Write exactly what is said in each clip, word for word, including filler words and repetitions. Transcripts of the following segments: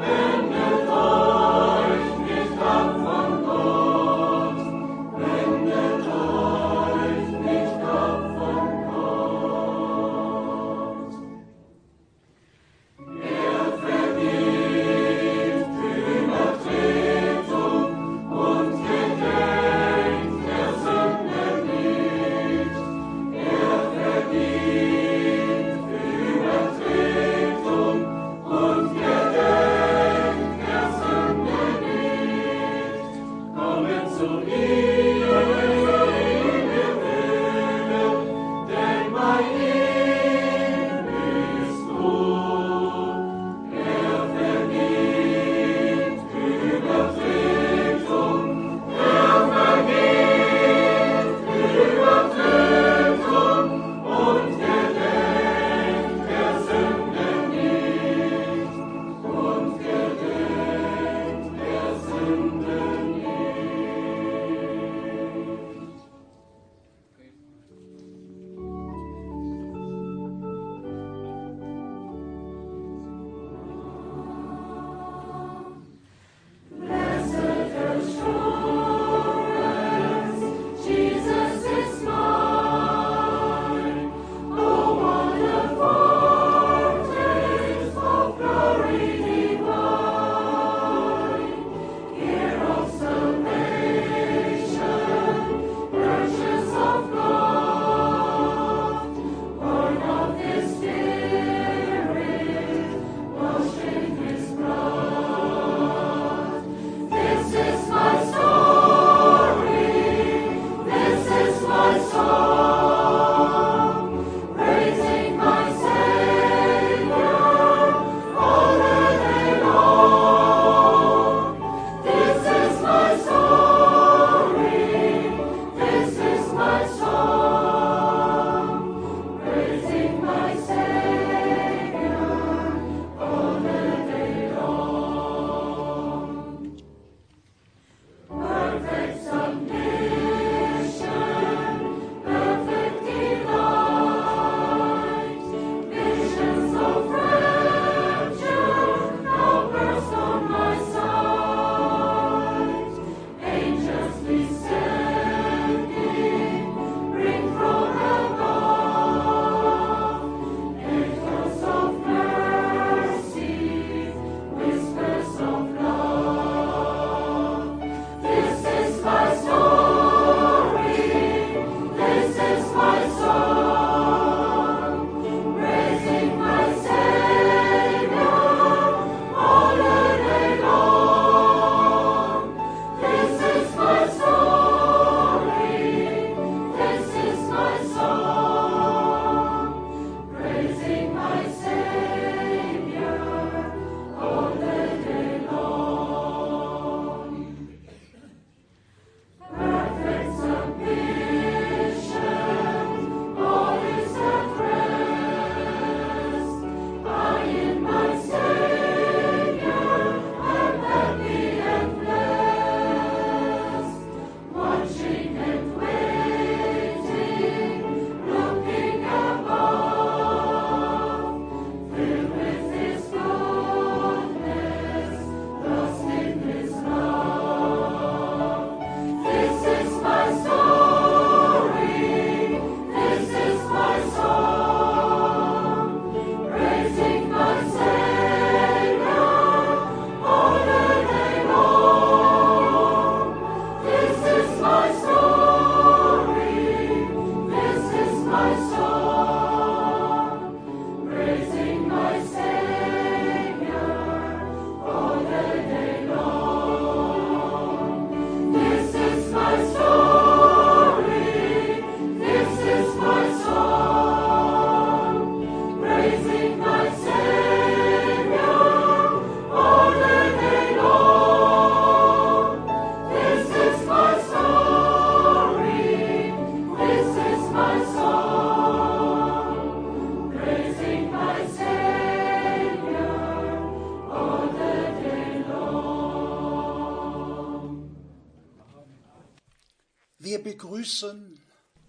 Wenn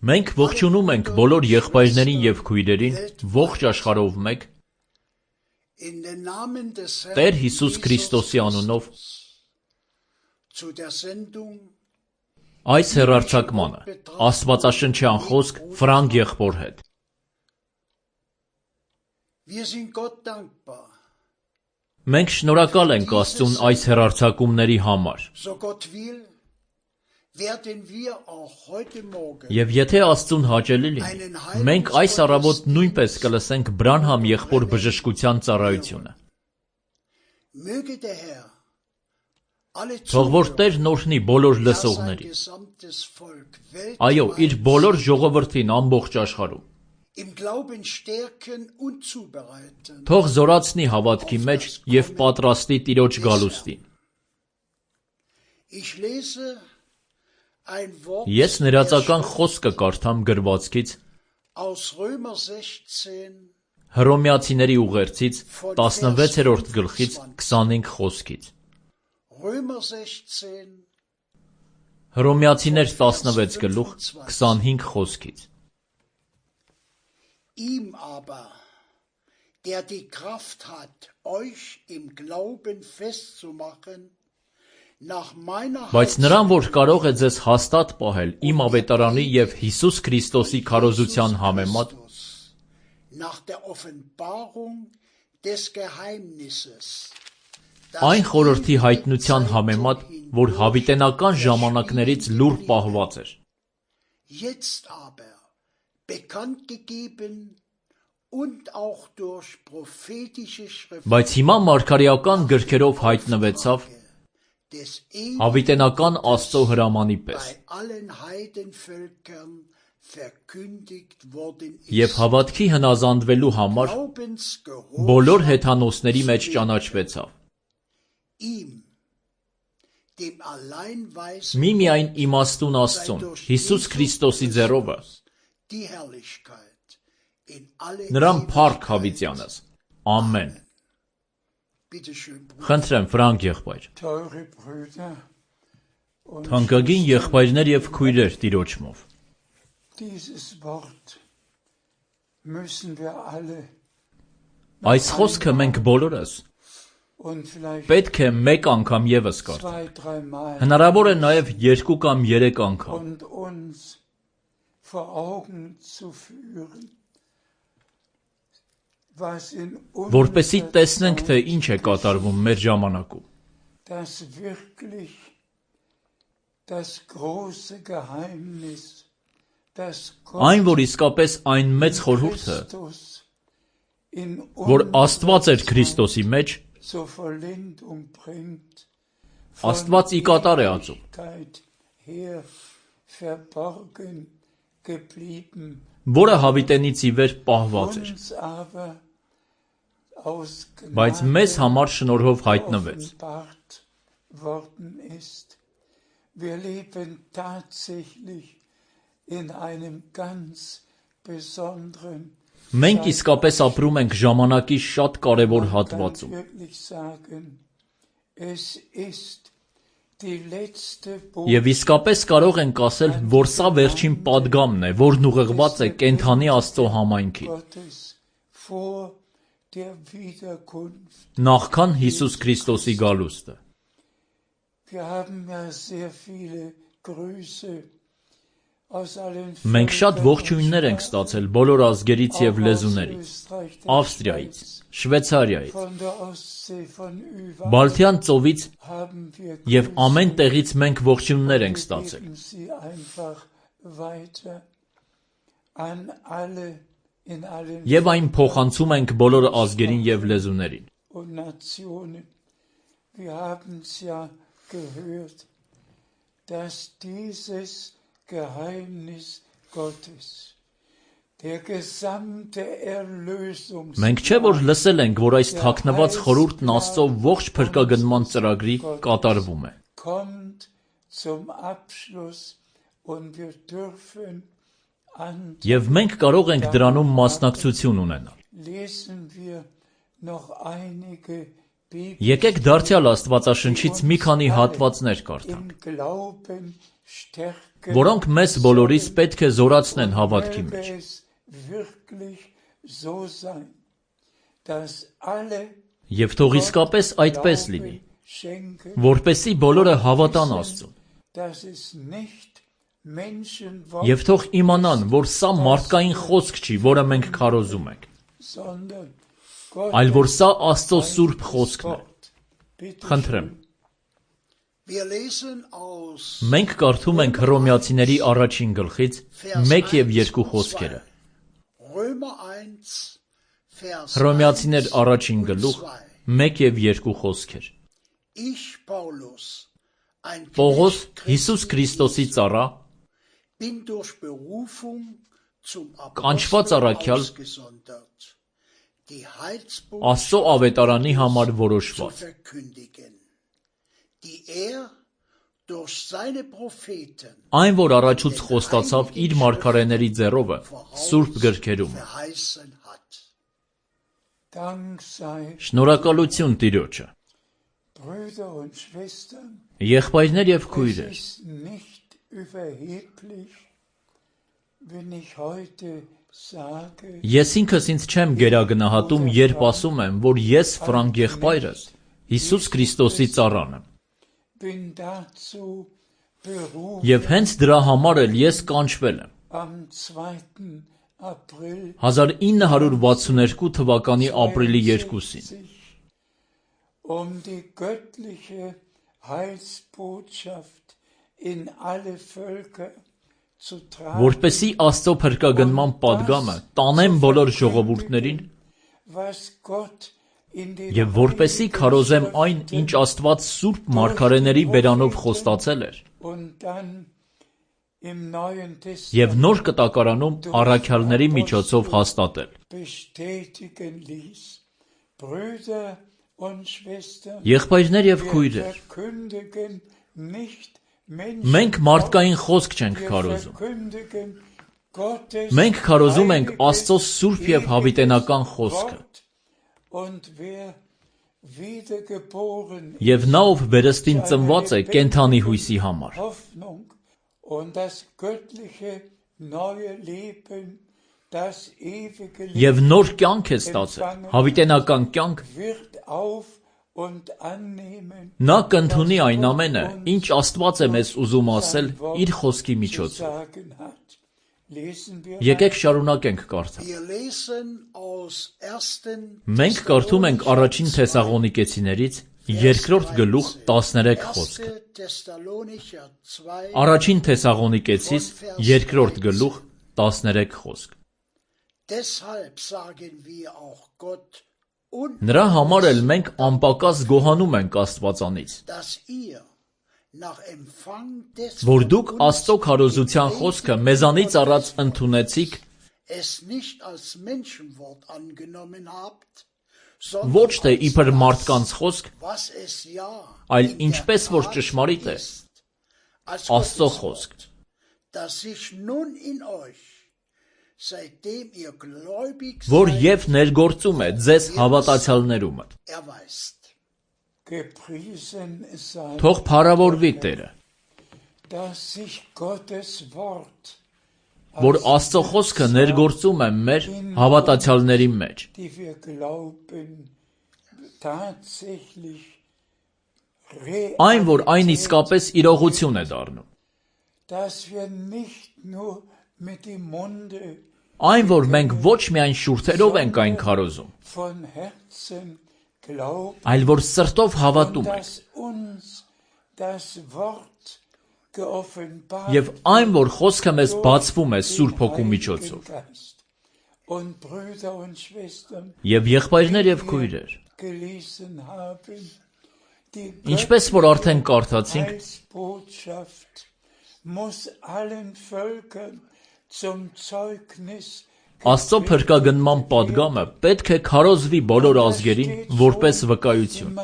Մենք ողջունում ենք բոլոր եղբայրներին և քույրերին ողջ աշխարհով մեկ Տեր Հիսուս Քրիստոսի անունով այս հեռարձակմանը աստվածաշնչյան խոսք Ֆրանկ եղբոր հետ։ Մենք շնորհակալ ենք Աստծուն այս հեռարձակումների համար։ Եվ եթե Աստծուն հաճելի լինի, մենք այս առավոտ նույնպես կլսենք Բրանհամ եղբոր բժշկության ծառայությունը։ Թող որ Տերն օրհնի բոլոր լսողներին։ Այո, իր բոլոր ժողովրդին ամբողջ աշխարհում։ Թող զորացնի հավատքի մեջ և պատրաստի Տիրոջ գալուստին։ Ես ներածական խոսքը կարդամ գրվածքից Հռոմեացիների ուղերձից տասնվեցերորդ գլխից քսանհինգ խոսքից։ Հռոմեացիներ տասնվեց գլուխ քսանհինգ խոսքից։ Ihm aber, der die Kraft hat, euch im Glauben festzumachen, nach meiner Բայց նրան, որ կարող է ձեզ հաստատ պահել իմ ավետարանի և Հիսուս Քրիստոսի քարոզության համեմատ, nach der Offenbarung des Geheimnisses, այն խորհրդի հայտնության համեմատ, որ հավիտենական ժամանակներից լուռ պահված էր։ jetzt aber bekannt gegeben und auch durch prophetische Schriften Բայց հիմա մարգարեական գրքերով հայտնվեցավ հավիտենական Աստծո հրամանի պես։ Եվ հավատքի հնազանդվելու համար բոլոր հեթանոսների մեջ ճանաչվեցավ։ Միմիայն իմաստուն Աստծուն, Հիսուս Քրիստոսի ձեռովը, նրան փառք հավիտյանս։ Ամեն։ Խնդրեմ, Ֆրանկ եղբայր։ Թանկագին եղբայրներ և քույրեր Տիրոջմով։ Այս խոսքը մենք բոլորս պետք է մեկ անգամ ևս կարդանք։ Հնարավոր է նաև երկու կամ երեք անգամ։ Որպեսզի տեսնենք, թե ինչ է կատարվում մեր ժամանակում։ Այն, որ իսկապես այն մեծ խորհուրդը, որ Աստված էր Քրիստոսի մեջ, Աստված ի կատար է ածում։ Որը հավիտենից ի վեր պահված էր։ Բայց մեզ համար շնորհով հայտնվեց։ Մենք իսկապես ապրում ենք ժամանակի շատ կարևոր հատվածում։ Եվ իսկապես կարող ենք ասել, որ սա վերջին պատգամն է, որն ուղղված է կենդանի Աստծո համայնքին։ Նախքան Հիսուս Քրիստոսի գալուստը։ Մենք շատ ողջույններ ենք ստացել բոլոր ազգերից և լեզուներից, Ավստրիայից, Շվեյցարիայից, Բալթյան ծովից և ամեն տեղից մենք ողջույններ ենք ստացել։ Եվ այն փոխանցում ենք բոլոր ազգերին և լեզուներին։ Մենք չէ՞ որ լսել ենք, որ այս թաքնված խորհուրդն Աստծո ողջ փրկագնման ծրագրի կատարվում է։ Եվ մենք կարող ենք դրանում մասնակցություն ունենալ։ Եկեք դարձյալ Աստվածաշնչից մի քանի հատվածներ կարդանք։ որոնք մեզ բոլորիս պետք է զորացնեն հավատքի մեջ։ Եվ թող իսկապես այդպես լինի, որպեսզի բոլորը հավատան Աստծուն։ Եվ թող իմանան, որ սա մարդկային խոսք չի, որը մենք քարոզում ենք, այլ որ սա Աստծո սուրբ խոսքն է։ Խնդրեմ։ Մենք կարդում ենք Հռոմեացիների առաջին գլխից մեկ և երկու խոսքերը։ Հռոմեացիներ առաջին գլուխ մեկ և երկու խոսքեր։ Պողոս, Հիսուս Քրիստոսի ծառա, կանչված առաքյալ, Աստծո ավետարանի համար որոշված, այն, որ առաջուց խոստացավ իր մարգարեների ձեռովը սուրբ գրքերում։ Շնորհակալություն Տիրոջը։ Եղբայրներ և քույրեր, ես ինքս ինձ չեմ գերագնահատում, երբ ասում եմ, որ ես Ֆրանկ եղբայրս Հիսուս Քրիստոսի ծառան եմ։ Եվ հենց դրա համար էլ ես կանչվել եմ։ հազար ինը հարյուր վաթսունութ թվականի ապրիլի երկուսին։ Որպեսզի Աստծո փրկագնման պատգամը տանեմ բոլոր ժողովուրդներին և որպեսզի քարոզեմ այն, ինչ Աստված սուրբ մարգարեների բերանով խոստացել էր, և նոր կտակարանում առաքյալների միջոցով հաստատել։ Եղբայրներ և քույրեր, մենք մարդկային խոսք չենք քարոզում։ Մենք քարոզում ենք Աստծո սուրբ և հավիտենական խոսքը։ Եվ նա, ով վերստին ծնված է կենդանի հույսի համար։ Եվ նոր կյանք է ստացել, հավիտենական կյանք, նա կընդունի այն ամենը, ինչ Աստված է մեզ ուզում ասել իր խոսքի միջոցով։ Եկեք շարունակենք կարդալ։ Մենք կարդում ենք առաջին Թեսաղոնիկեցիներից երկրորդ գլուխ տասներեք խոսքը։ Առաջին Թեսաղոնիկեցիս երկրորդ գլուխ տասներեք խոսք։ Նրա համար էլ մենք անպակաս գոհանում ենք Աստվածանից, որ դուք Աստծո քարոզության խոսքը մեզանից առած ընդունեցիք, ոչ թե իբր մարդկանց խոսք, այլ ինչպես որ ճշմարիտ է, Աստծո խոսք։ Որ և ներգործում է ձեզ հավատացյալներումը։ Թող փառավորվի Տերը, որ Աստծո խոսքը ներգործում է մեր հավատացյալների մեջ։ Այն, որ այն իսկապես իրողություն է դառնում։ Այն, որ մենք ոչ միայն շուրթերով ենք այն քարոզում, այլ որ սրտով հավատում ենք։ Եվ այն, որ խոսքը մեզ բացվում է Սուրբ Հոգու միջոցով։ Եվ եղբայրներ և քույրեր, ինչպես որ արդեն կարդացինք, Աստծո փրկագնման պատգամը պետք է քարոզվի բոլոր ազգերին որպես վկայություն։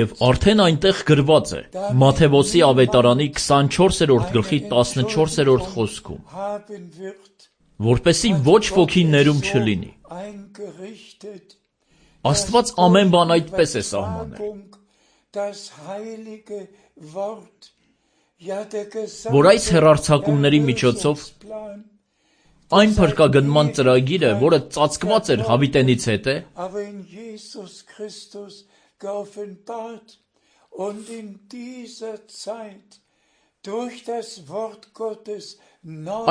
Եվ արդեն այնտեղ գրված է Մատթեոսի ավետարանի քսանչորսերորդ գլխի տասնչորսերորդ խոսքում, որպեսզի ոչ ոքի ներում չլինի։ Աստված ամեն բան այդպես է սահմանել։ որ այս հեռարձակումների միջոցով այն փրկագնման ծրագիրը, որը ծածկված էր հավիտենից հետը,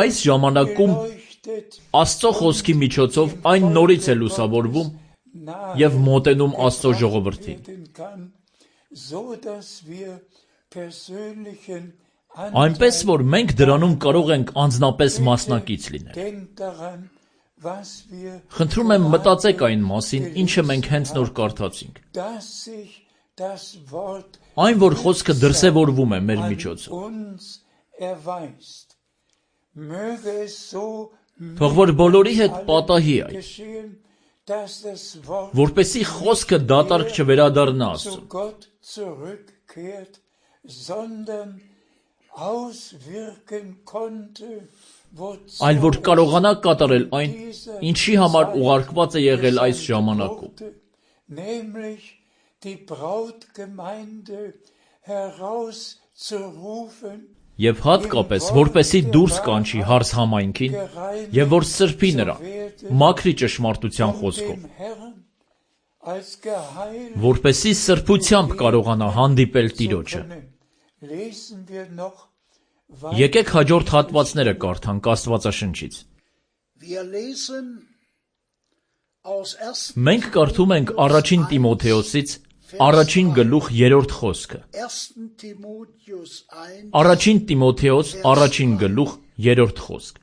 այս ժամանակում Աստծո խոսքի միջոցով այն նորից է լուսավորվում և մոտենում Աստծո ժողովրդին։ Այնպես, որ մենք դրանում կարող ենք անձնապես մասնակից լինել։ Խնդրում եմ մտածեք այն մասին, ինչը մենք հենց նոր կարդացինք։ Այն, որ խոսքը դրսևորվում է մեր միջոցով։ Թող որ բոլորի հետ պատահի այդ, որպեսզի խոսքը դատարկ չվերադառնա Աստծուն, այլ որ կարողանա կատարել այն, ինչի համար ուղարկված է եղել այս ժամանակում։ Եվ հատկապես, որպեսզի դուրս կանչի հարս համայնքին, և որ սրբի նրա, մաքրի ճշմարտության խոսքով, որպեսզի սրբությամբ կարողանա հանդիպել Տիրոջը։ Եկեք հաջորդ հատվածները կարդանք Աստվածաշնչից։ Մենք կարդում ենք առաջին Տիմոթեոսից առաջին գլուխ երրորդ խոսքը։ Առաջին Տիմոթեոս առաջին գլուխ երրորդ խոսք։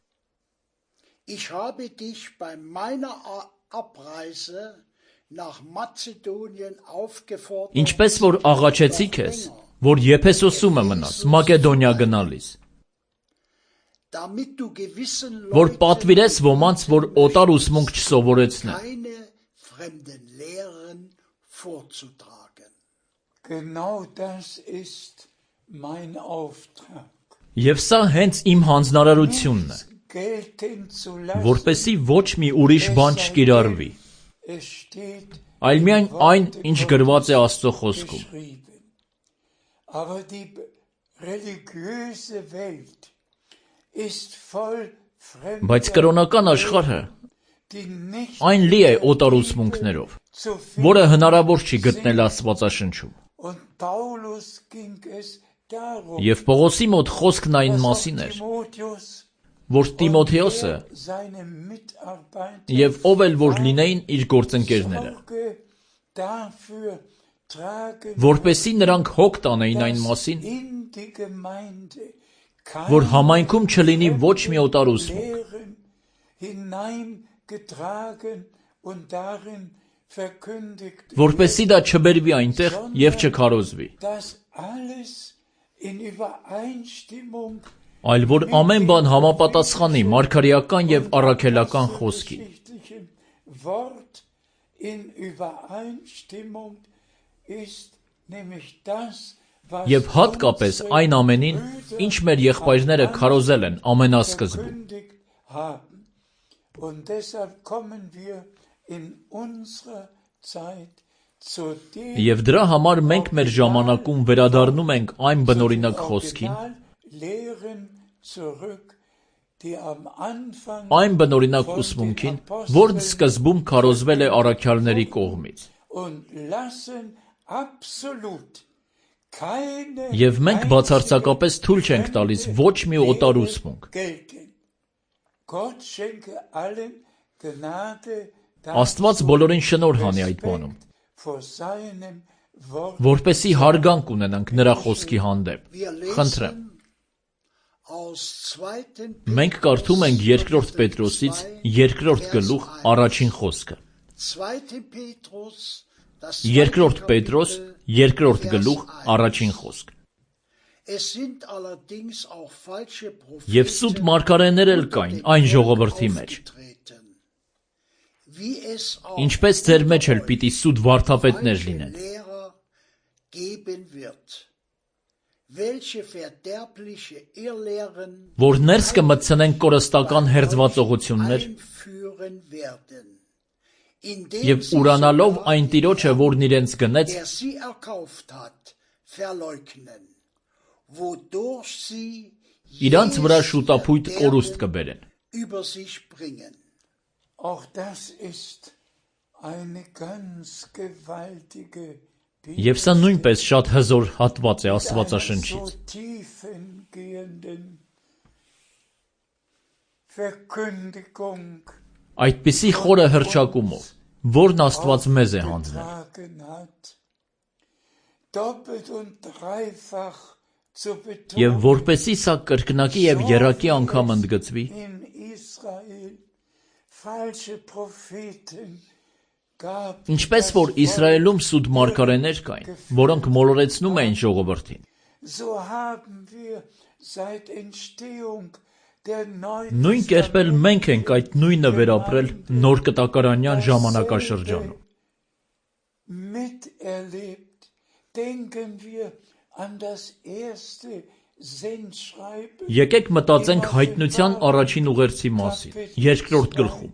Ինչպես որ աղաչեցի քեզ, որ Եփեսոսում մնաս, Մակեդոնիա գնալիս, որ պատվիրես ոմանց, որ օտար ուսմունք չսովորեցնեն։ Եվ սա հենց իմ հանձնարարությունն է, որպեսզի ոչ մի ուրիշ բան չկիրառվի, այլ միայն այն, ինչ գրված է Աստծո խոսքում։ Բայց կրոնական աշխարհը այն լի է օտար ուսմունքներով, որը հնարավոր չի գտնել Աստվածաշնչում։ Եվ Պողոսի մոտ խոսքն այն մասին էր, որ Տիմոթեոսը և ով էլ որ լինեին իր գործընկերները, որպեսզի նրանք հոգ տանեին այն մասին, որ համայնքում չլինի ոչ մի օտար ուսմունք, որպեսզի դա չբերվի այնտեղ և չքարոզվի, այլ որ ամեն բան համապատասխանի մարգարեական և առաքելական խոսքին։ Եվ հատկապես այն ամենին, ինչ մեր եղբայրները քարոզել են ամենասկզբում։ Եվ դրա համար մենք մեր ժամանակում վերադառնում ենք այն բնօրինակ խոսքին, այն բնօրինակ ուսմունքին, որն սկզբում քարոզվել է առաքյալների կողմից։ Եվ մենք բացարձակապես թույլ չենք տալիս ոչ մի օտար ուսմունք։ Աստված բոլորին շնորհ հանի այդ բանում, որպեսզի հարգանք ունենանք նրա խոսքի հանդեպ։ Խնդրեմ։ Մենք կարդում ենք երկրորդ Պետրոսից երկրորդ գլուխ առաջին խոսքը։ Երկրորդ Պետրոս երկրորդ գլուխ առաջին խոսք։ Եվ սուտ մարգարեներ էլ կային այն ժողովրդի մեջ, ինչպես ձեր մեջ էլ պիտի սուտ վարդապետներ լինեն, որ ներս կմտցնեն կորստական հերձվածողություններ և ուրանալով այն Տիրոջը, որն իրենց գնեց, verleugnen, wodurch sie Իրանց վրա շուտապույտ կորուստ կբերեն։ über sich bringen. Auch das ist eine ganz gewaltige Եվ սա նույնպես շատ հզոր հատված է Աստվածաշնչից։ so tiefengehenden Verkündigung Այդպիսի խորը հռչակումով, որն Աստված մեզ է հանձնել։ getragen hat, doppelt und dreifach zu Եվ betonen որպեսի սա կրկնակի եւ եռակի անգամ ընդգծվի, in Israel falsche Propheten gab, ինչպես որ Իսրայելում սուտ մարգարեներ կային, որոնք մոլորեցնում էին ժողովրդին։ so haben wir seit Entstehung der Neuen Նույն կերպ էլ մենք ենք այդ նույնը վերապրել նոր կտակարանյան ժամանակաշրջանում։ miterlebt. Denken wir an das erste Sendschreiben. Եկեք մտածենք հայտնության առաջին ուղերձի մասին, երկրորդ գլխում։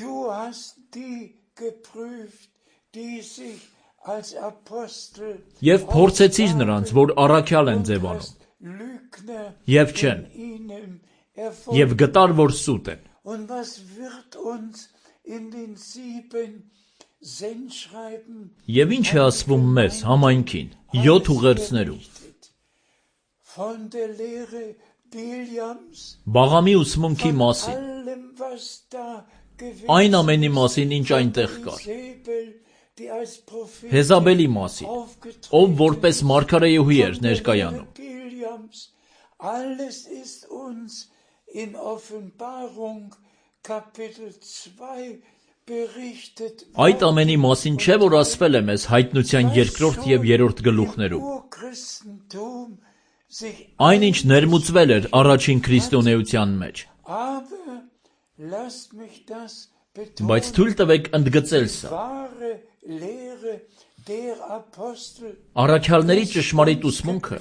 Du hast die geprüft, die sich als Apostel Եվ փորձեցիր նրանց, որ առաքյալ են ձևանում, Lügner եւ չեն, in ihnen եւ erfunden. գտար, որ սուտ են։ Und was wird uns in den sieben Sendschreiben Եվ ինչ է ասվում մեզ համայնքին, յոթ ուղերձներում։ von der Lehre Biljams, Բաղամի ուսմունքի մասին, allem was da gewesen այն ամենի մասին, ինչ այնտեղ կար, Isabel, die als Prophet Հեզաբելի մասին, aufgetreten ով որպես մարգարեուհի էր von der ներկայանում։ Lehre Biljams, alles ist uns in Offenbarung Kapitel zwei berichtet. Այդ ամենի մասին չէ, որ ասվել է մեզ հայտնության երկրորդ եւ երրորդ գլուխներում։ Urchristentum sich Այն ինչ ներմուծվել էր առաջին քրիստոնեության մեջ։ aber lasst mich das betonen. Բայց թույլ տվեք ընդգծել սա։ Wahre Lehre der Apostel Առաքյալների ճշմարիտ ուսմունքը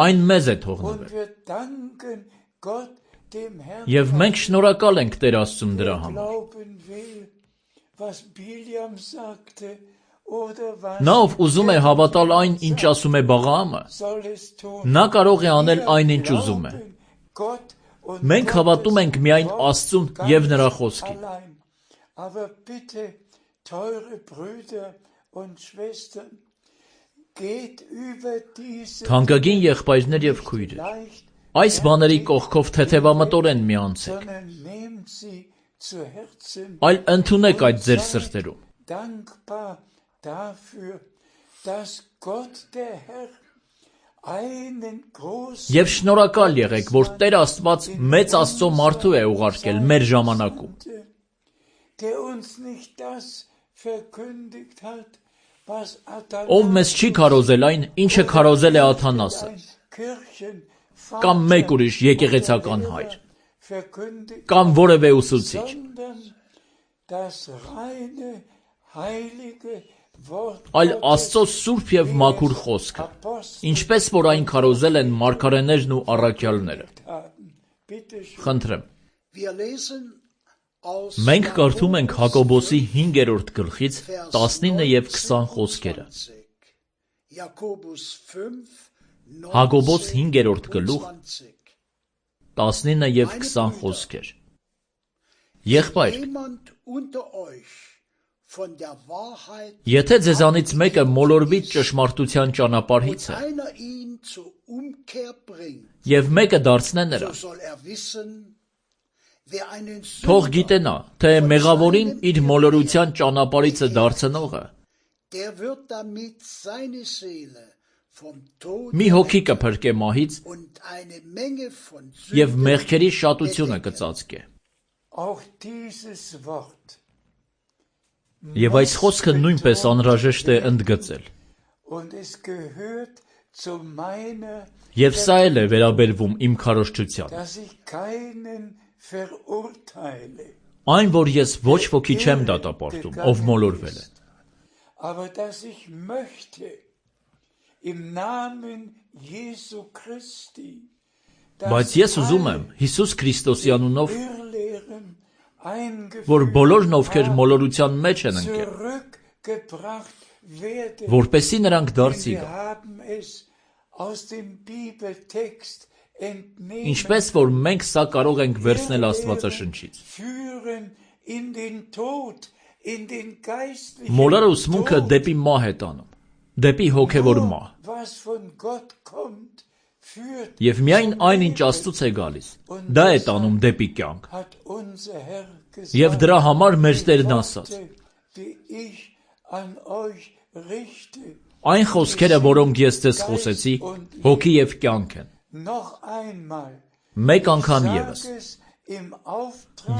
այն մեզ է թողնվել։ und wir danken Gott dem Herrn. Եվ մենք շնորհակալ ենք Տեր Աստծուն դրա համար։ Glauben will, was Biljam sagte oder was Նա ով ուզում է հավատալ այն, ինչ ասում է Բաղաամը, soll es tun. նա կարող է անել այն, ինչ ուզում է։ Gott und Մենք հավատում ենք միայն Աստծուն եւ նրա խոսքին։ allein. Aber bitte, teure Brüder und Schwestern, geht über diese Թանկագին եղբայրներ եւ քույրեր, leicht, այս բաների կողքով թեթևամտորեն մի անցեք, sondern nehmt sie zu Herzen, այլ ընդունեք այդ ձեր սրտերում։ dankbar dafür, dass Gott der Herr einen großen Եվ շնորհակալ եղեք, որ Տեր Աստված մեծ Աստծո մարդու է ուղարկել մեր ժամանակում, der uns nicht das verkündigt hat, was ով մեզ չի քարոզել այն, ինչը քարոզել է Աթանասը, Kirchenvater կամ մեկ ուրիշ եկեղեցական հայր, verkündigt, կամ որևէ ուսուցիչ, sondern das reine, heilige Wort այլ Աստծո սուրբ եւ մաքուր խոսքը, ինչպես որ այն քարոզել են մարգարեներն ու առաքյալները։ haben. Bitte schön. Խնդրեմ, Wir lesen aus մենք կարդում ենք Հակոբոսի հինգերորդ գլխից Vers տասնինը եւ քսան խոսքերը։ neunzehn. Jakobus fünf, Հակոբոս neunzehn հինգերորդ und գլուխ zwanzig. տասնինը եւ քսան խոսքեր։ Եղբայր, Jemand unter euch von der Wahrheit եթե ձեզանից մեկը մոլորվի ճշմարտության und ճանապարհից է, einer ihn zur Umkehr bringt, եւ մեկը դարձնե so նրան, soll er wissen, wer einen թող Sünder, գիտենա, թե մեղավորին իր մոլորության ճանապարհիցը դարձնողը der wird damit seine Seele vom Tod մի հոգի կփրկե մահից und eine Menge von եւ Sünden մեղքերի շատությունը bedecken. կծածկե։ Auch dieses Wort Եվ այս խոսքը նույնպես անհրաժեշտ է ընդգծել։ und es gehört zu meiner, Եվ սա էլ է վերաբերվում իմ քարոզչության։ dass ich keinen verurteile, Այն, որ ես ոչ ոքի չեմ դատապարտում, ով մոլորվել է, aber dass ich möchte im Namen Jesu Christi, բայց ես ուզում եմ Հիսուս Քրիստոսի անունով, Irrlehren որ eingeführt բոլորն ովքեր մոլորության մեջ են ընկել, zurückgebracht որպեսզի նրանք դարձի գան։ Ինչպես որ մենք սա կարող ենք վերցնել Աստվածաշնչից։ Մոլորը ուսմունքը դեպի մահ է տանում, դեպի հոգևոր մահ։ Եվ միայն այն, ինչ Աստծուց է գալիս, դա է տանում դեպի կյանք։ Եվ դրա համար մեր Տերն ասաց. Այն խոսքերը, որոնք ես ձեզ խոսեցի, հոգի և կյանք են։ Մեկ անգամ ևս։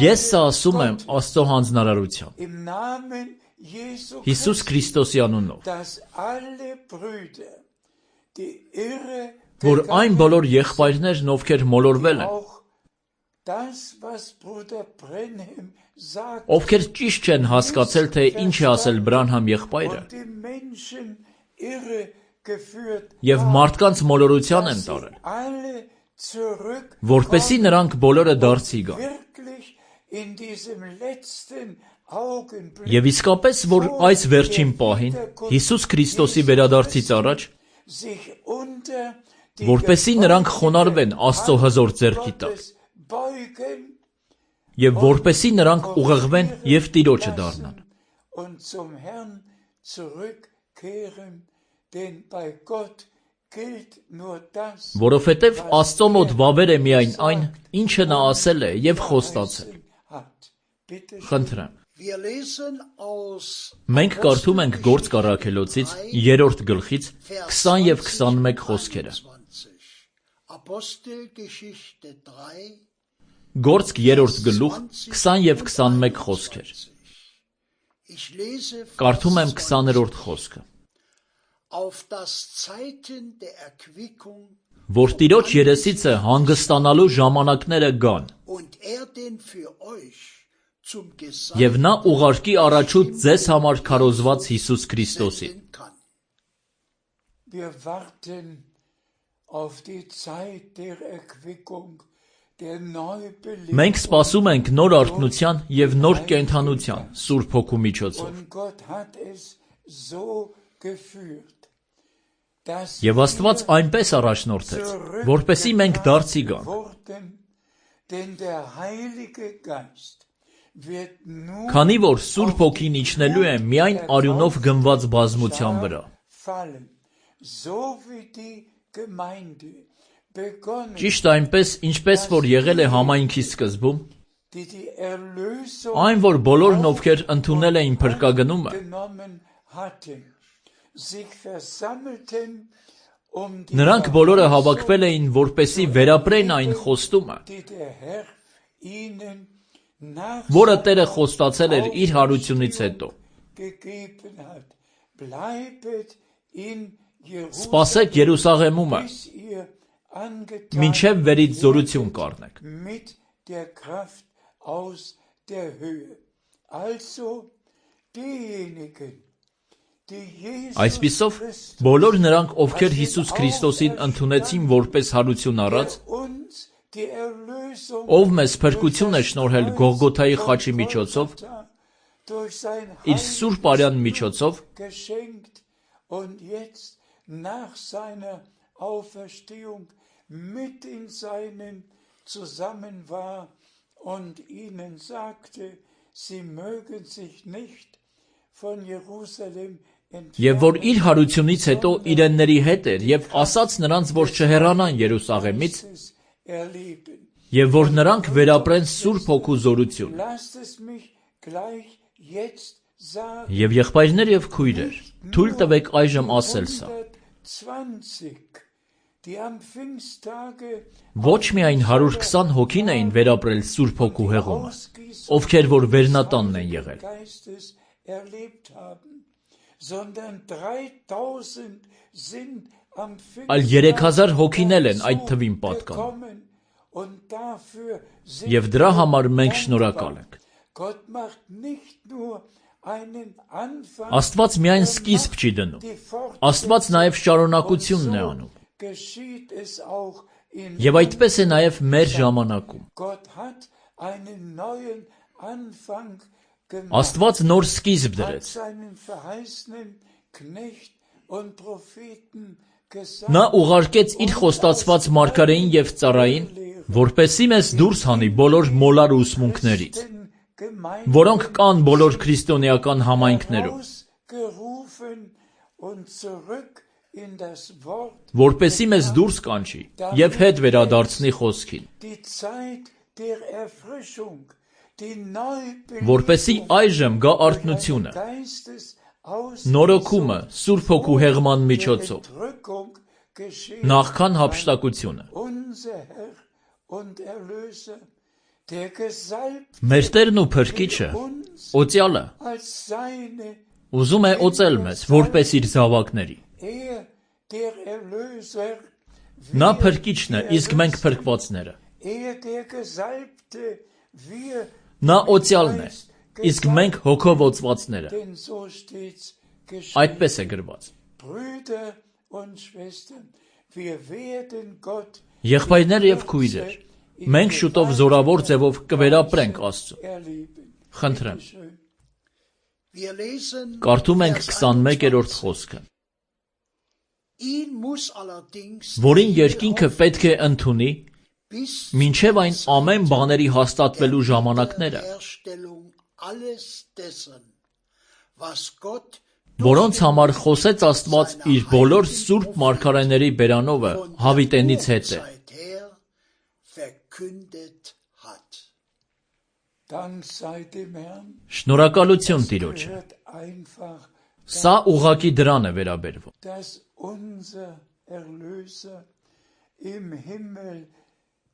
Ես սա ասում եմ Աստծո հանձնարարությամբ, Հիսուս Քրիստոսի անունով, որ այն բոլոր եղբայրներն, ովքեր մոլորվել են, ովքեր ճիշտ չեն հասկացել, թե ինչ է ասել Բրանհամ եղբայրը, և մարդկանց մոլորության են տարել, որպեսզի նրանք բոլորը դարձի գան։ Եվ իսկապես, որ այս վերջին պահին, Հիսուս Քրիստոսի վերադարձից առաջ, որպեսզի նրանք խոնարհվեն Աստծո հզոր ձեռքի տակ, և որպեսզի նրանք ուղղվեն և Տիրոջը դառնան։ Որովհետև Աստծո մոտ վավեր է միայն այն, ինչը նա ասել է և խոստացել։ Խնդրեմ։ Մենք կարդում ենք Գործք առաքելոցից երրորդ գլխից քսան և քսանմեկ խոսքերը։ Գործք երրորդ գլուխ քսան և քսանմեկ խոսքեր։ Կարդում եմ քսաներորդ խոսքը։ Որ Տիրոջ երեսիցը հանգստանալու ժամանակները գան, և նա ուղարկի առաջուց ձեզ համար քարոզված Հիսուս Քրիստոսին։ Մենք սպասում ենք նոր արթնության և նոր կենդանության Սուրբ Հոգու միջոցով։ Եվ Աստված այնպես առաջնորդեց, որպեսզի մենք դարձի գանք։ Քանի որ Սուրբ Հոգին իջնելու է միայն արյունով գնված բազմության վրա։ Ճիշտ այնպես, ինչպես որ եղել է համայնքի սկզբում, այն, որ բոլորն, ովքեր ընդունել էին փրկագնումը, նրանք բոլորը հավաքվել էին, որպեսզի վերապրեն այն խոստումը, որը Տերը խոստացել էր իր հարությունից հետո։ Սպասեք Երուսաղեմումը, մինչև վերից զորություն կառնեք։ Այսպիսով, բոլոր նրանք, ովքեր Հիսուս Քրիստոսին ընդունեցին որպես հարություն առած, ով մեզ փրկություն է շնորհել Գողգոթայի խաչի միջոցով, իր սուրբ արյան միջոցով, և որ իր հարությունից հետո իրենների հետ էր և ասաց նրանց, որ չհեռանան Երուսաղեմից, և որ նրանք վերապրեն Սուրբ Հոգու զորություն։ Եվ եղբայրներ և քույրեր, թույլ տվեք այժմ ասել սա. ոչ միայն հարյուր քսան հոգին էին վերապրել Սուրբ Հոգու հեղումը, ովքեր որ վերնատանն են եղել, այլ երեք հազար հոգինել են այդ թվին պատկանում, և դրա համար մենք շնորհակալ ենք։ Աստված միայն սկիզբ չի դնում, Աստված նաև շարունակությունն է անում։ Եվ այդպես է նաև մեր ժամանակում։ Աստված նոր սկիզբ դրեց, Knecht und Propheten Նա ուղարկեց իր խոստացված մարգարեին եւ ծառային, որպեսզի մեզ դուրս հանի բոլոր մոլար ուսմունքներից, որոնք կան բոլոր քրիստոնեական համայնքներում, որպեսզի մեզ դուրս կանչի եւ հետ վերադարձնի խոսքին, որպեսզի այժմ գա արթնությունը, նորոգումը Սուրբ Հոգու հեղման միջոցով, նախքան հափշտակությունը։ Մեր Տերն ու Փրկիչը, օծյալը, ուզում է օծել մեզ, որպես իր զավակների։ Նա Փրկիչն է, իսկ մենք փրկվածները։ Նա օծյալն է, իսկ մենք հոգով օծվածները։ Այդպես է գրված։ Եղբայրներ եւ քույրեր, մենք շուտով զորավոր ձևով կվերապրենք Աստծուն։ Խնդրեմ։ Կարդում ենք քսանմեկերորդ խոսքը, որին երկինքը պետք է ընդունի, մինչև այն ամեն բաների հաստատվելու ժամանակները, որոնց համար խոսեց Աստված իր բոլոր սուրբ մարգարեների բերանովը հավիտենից հետը։ Շնորհակալություն Տիրոջը։ Սա ուղղակի դրան է վերաբերվում։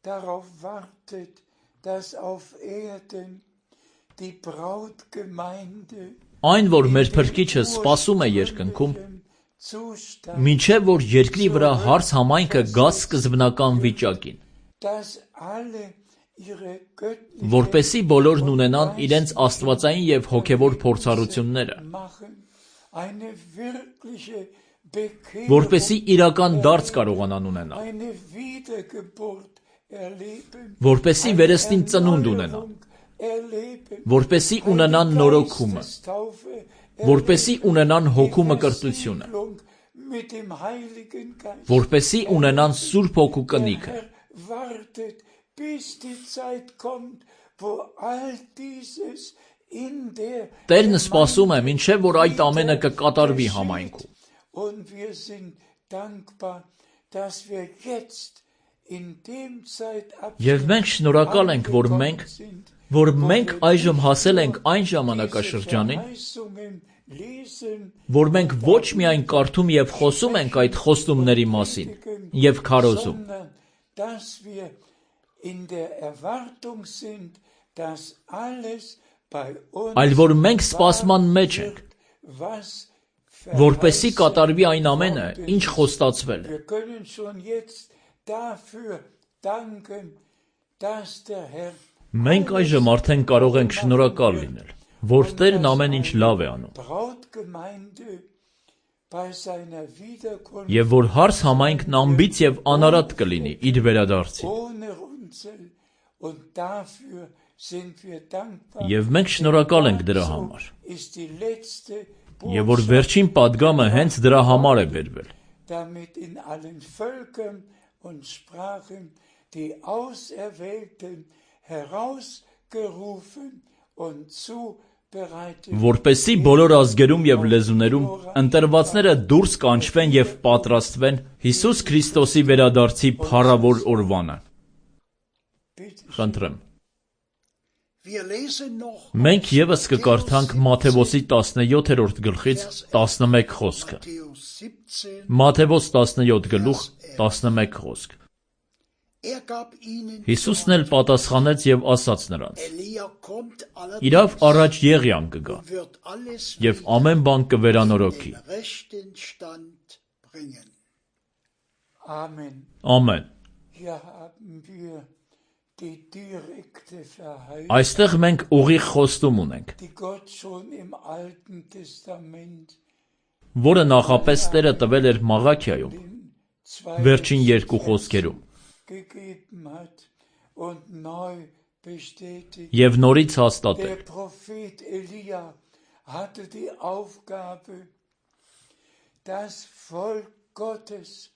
Darauf wartet, dass auf Erden die Brautgemeinde Այն, որ մեր Փրկիչը սպասում է երկնքում, մինչև որ երկրի վրա հարս համայնքը գա սկզբնական վիճակին, որպեսզի բոլորն ունենան իրենց աստվածային եւ հոգեվոր փորձառությունները, որպեսզի իրական դարձ կարողանան ունենալ, որպեսզի վերստին ծնունդ ունենան, որպեսզի ունենան նորոգումը, որպեսզի ունենան հոգու մկրտությունը, որպեսզի ունենան Սուրբ Հոգու կնիքը։ Տերն սպասում է, մինչև որ այդ ամենը կկատարվի համայնքում։ Եվ մենք շնորհակալ ենք, որ մենք, որ մենք այժմ հասել ենք այն ժամանակաշրջանին, որ մենք ոչ միայն կարդում եւ խոսում ենք այդ խոստումների մասին եւ քարոզում, այլ որ մենք սպասման մեջ ենք, որպեսզի կատարվի այն ամենը, ինչ խոստացվել է։ Մենք այժմ արդեն կարող ենք շնորհակալ լինել, որ Տերն ամեն ինչ լավ է անում, եւ որ հարս համայնքն ամբից եւ անարատ կլինի իր վերադարձին։ Եվ մենք շնորհակալ ենք դրա համար, եւ որ վերջին պատգամը հենց դրա համար է բերվել, die Auserwählten herausgerufen und zubereitet, որպեսզի բոլոր ազգերում եւ լեզուներում ընտրվածները դուրս կանչվեն եւ պատրաստվեն Հիսուս Քրիստոսի վերադարձի փառավոր օրվանը։ Խնդրեմ։ Մենք եւս կկարդանք Մատթեոսի տասնյոթերորդ գլխից տասնմեկ խոսքը։ Մատթեոս տասնյոթ գլուխ տասնմեկ խոսք։ Հիսուսն էլ պատասխանեց եւ ասաց նրանց. Իրավ առաջ Եղիան կգա եւ ամեն բան կվերանորոգի։ Ամեն։ Այստեղ մենք ուղիղ խոստում ունենք, որը նախապես Տերը տվել էր Մաղաքիայում, վերջին երկու խոսքերում, եւ նորից հաստատել։ das Volk Gottes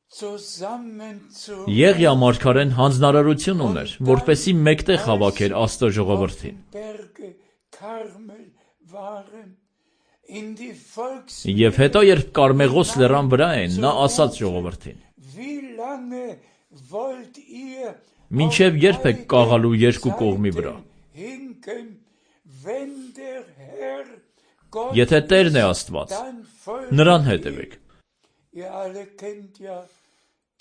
zusammenzu Եղիա մարգարեն հանձնարարություն ուներ, որպեսզի մեկտեղ հավաքեր Աստծո ժողովրդին։ Berge Karmel waren in die Volks Եվ հետո, երբ Կարմեղոս լեռան վրա էին, նա ասաց ժողովրդին. Wie lange wollt ihr Մինչև երբ եք կաղալու երկու կողմի վրա։ hinken, wenn der Herr Gott Եթե Տերն է Աստված, dann folgt նրան հետևեք։ ihr alle kennt ja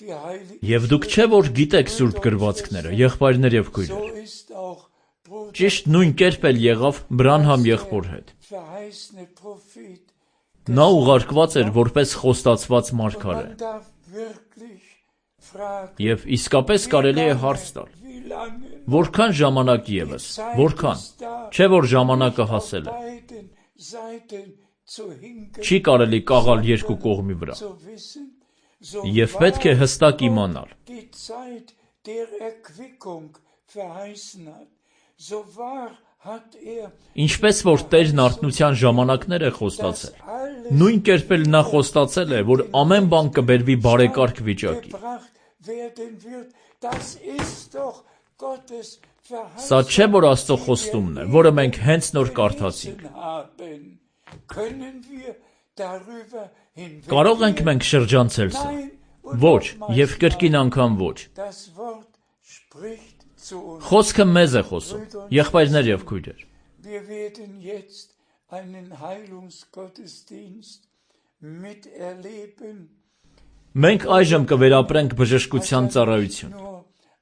die heilige Եվ դուք չէ որ գիտեք սուրբ գրվածքները, եղբայրներ եւ so քույրեր։ ist auch Bruder Ճիշտ նույն կերպ էլ եղավ Բրանհամ եղբոր հետ։ verheißene Prophet. Նա ուղարկված էր որպես խոստացված մարգարե։ Man darf wirklich fragen, Եվ իսկապես կարելի է հարց տալ. wie lange Որքան ժամանակ եւս, որքան։ Չէ որ ժամանակը հասել է։ beiden Seiten zu hinken, Չի կարելի կաղալ երկու կողմի վրա։ zu wissen, so Եվ պետք է հստակ իմանալ։ die Zeit der Erquickung verheißen hat, so wahr hat er Ինչպես որ Տերն արթնության ժամանակներ է խոստացել, alles նույն կերպ էլ նա խոստացել է, որ ամեն բան կբերվի բարեկարգ վիճակի։ gebracht werden wird. Das ist doch Gottes Սա չէ որ Աստծո խոստումն է, որը մենք հենց նոր կարդացինք։ haben. Können wir darüber hinweg? Կարող ենք մենք շրջանցել սա։ Nein, und Ոչ, nochmals եւ կրկին անգամ ոչ։ das Wort spricht zu uns. Խոսքը մեզ է խոսում, եղբայրներ եւ քույրեր։ Wir werden jetzt einen Heilungsgottesdienst miterleben. Մենք այժմ կվերապրենք բժշկության ծառայություն։ Nur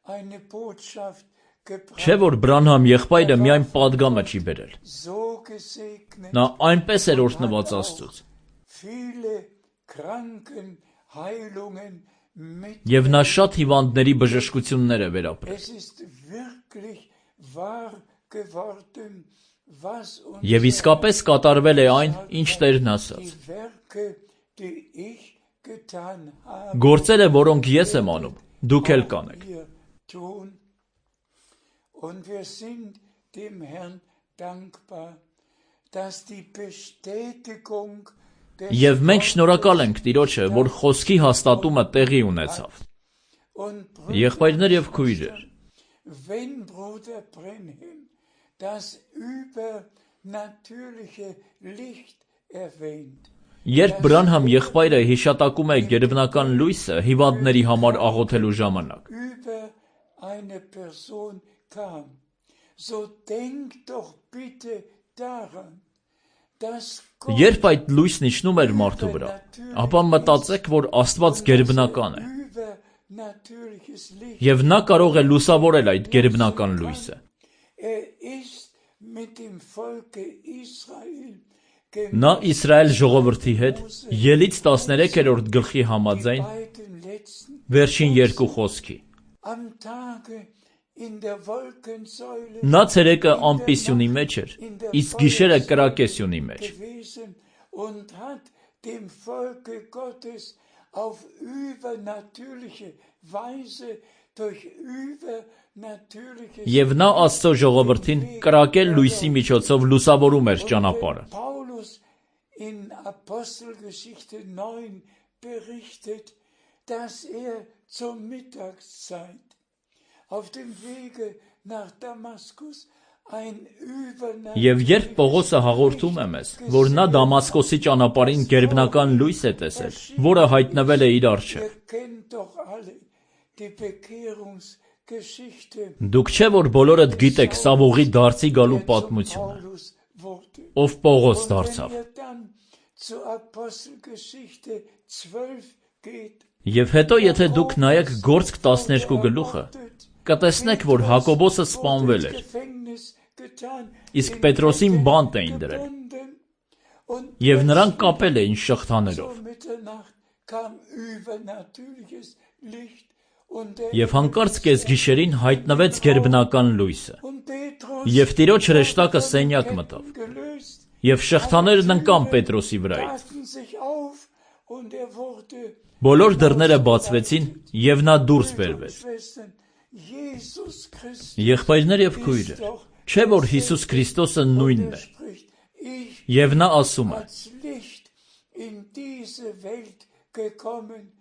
eine Botschaft gebracht, Չէ որ Բրանհամ եղբայրը միայն падգամը չի բերել։ so gesegnet. Նա այնպես էր օրհնված Աստծուց։ Viele Kranken Heilungen mit. Եվ նա շատ հիվանդների բժշկություններ է վերապրել։ Es ist wirklich wahr geworden, was uns Եվ իսկապես կատարվել է այն, ինչ Տերն ասաց։ die Werke, die ich getan habe, Գործերը, որոնք ես եմ անում, դուք էլ կանեք։ wir tun. Und wir sind dem Herrn dankbar, dass die Bestätigung des Եվ մենք շնորհակալ ենք Տիրոջը, որ խոսքի հաստատումը տեղի ունեցավ։ und Եղբայրներ եւ քույրեր, wenn Bruder Brenhem das übernatürliche Licht erwähnt, երբ Բրանհամ եղբայրը հիշատակում է գերբնական լույսը հիվանդների համար աղոթելու ժամանակ, über eine Person kam, so denkt doch bitte daran, dass Gott երբ այդ լույսն իջնում էր մարդու վրա, ապա մտածեք, որ Աստված գերբնական է, übernatürliches Licht, եւ նա կարող է լուսավորել այդ գերբնական լույսը։ er ist mit dem Volke Israel Նա Իսրայել ժողովրդի հետ Ելից տասներեքերորդ գլխի համաձայն beiden letzten վերջին երկու խոսքի։ am Tage in der Wolkensäule Նա ցերեկը ամպիսյունի մեջ էր, իսկ գիշերը կրակեսյունի մեջ։ gewesen und hat dem Volke Gottes auf übernatürliche Weise durch übernatürliche Եվ նա Աստծո ժողովրդին կրակել լույսի միջոցով լուսավորում էր ճանապարհը։ Paulus in Apostelgeschichte neun berichtet, dass er zur Mittagszeit auf dem Wege nach Damaskus ein übernatürliches Եվ երբ Պողոսը հաղորդում է մեզ, որ նա Դամասկոսի ճանապարհին գերբնական լույս է տեսել, որը հայտնվել է իր առջև։ Ihr kennt doch alle die Bekehrungsgeschichte. Դուք չէ որ բոլորդ գիտեք Սավողի դարձի գալու պատմությունը, Paulus wurde. ով Պողոս Und դարձավ։ wenn ihr dann zur Apostelgeschichte zwölf geht, Եվ հետո եթե դուք նայեք Գործք տասներկու գլուխը, կտեսնեք, որ Հակոբոսը սպանվել էր, Gefängnis getan, իսկ Պետրոսին բանտ էին դրել, gebunden, und եւ նրան կապել էին շղթաներով։ um Mitternacht kam übernatürliches Licht und der Եվ հանկարծ կեսգիշերին հայտնվեց գերբնական լույսը, und Petrus եւ Տիրոջ հրեշտակը սենյակ մտավ, gelöst, եւ շղթաներն ընկան Պետրոսի վրայից։ taten sich auf und er wurde. Բոլոր դռները բացվեցին եւ նա դուրս բերվեց։ Schwestern, Jesus Christus Եղբայրներ եւ քույրեր, չէ որ Հիսուս Քրիստոսը նույնն է։ spricht, ich Եվ նա ասում է. als Licht in diese Welt gekommen,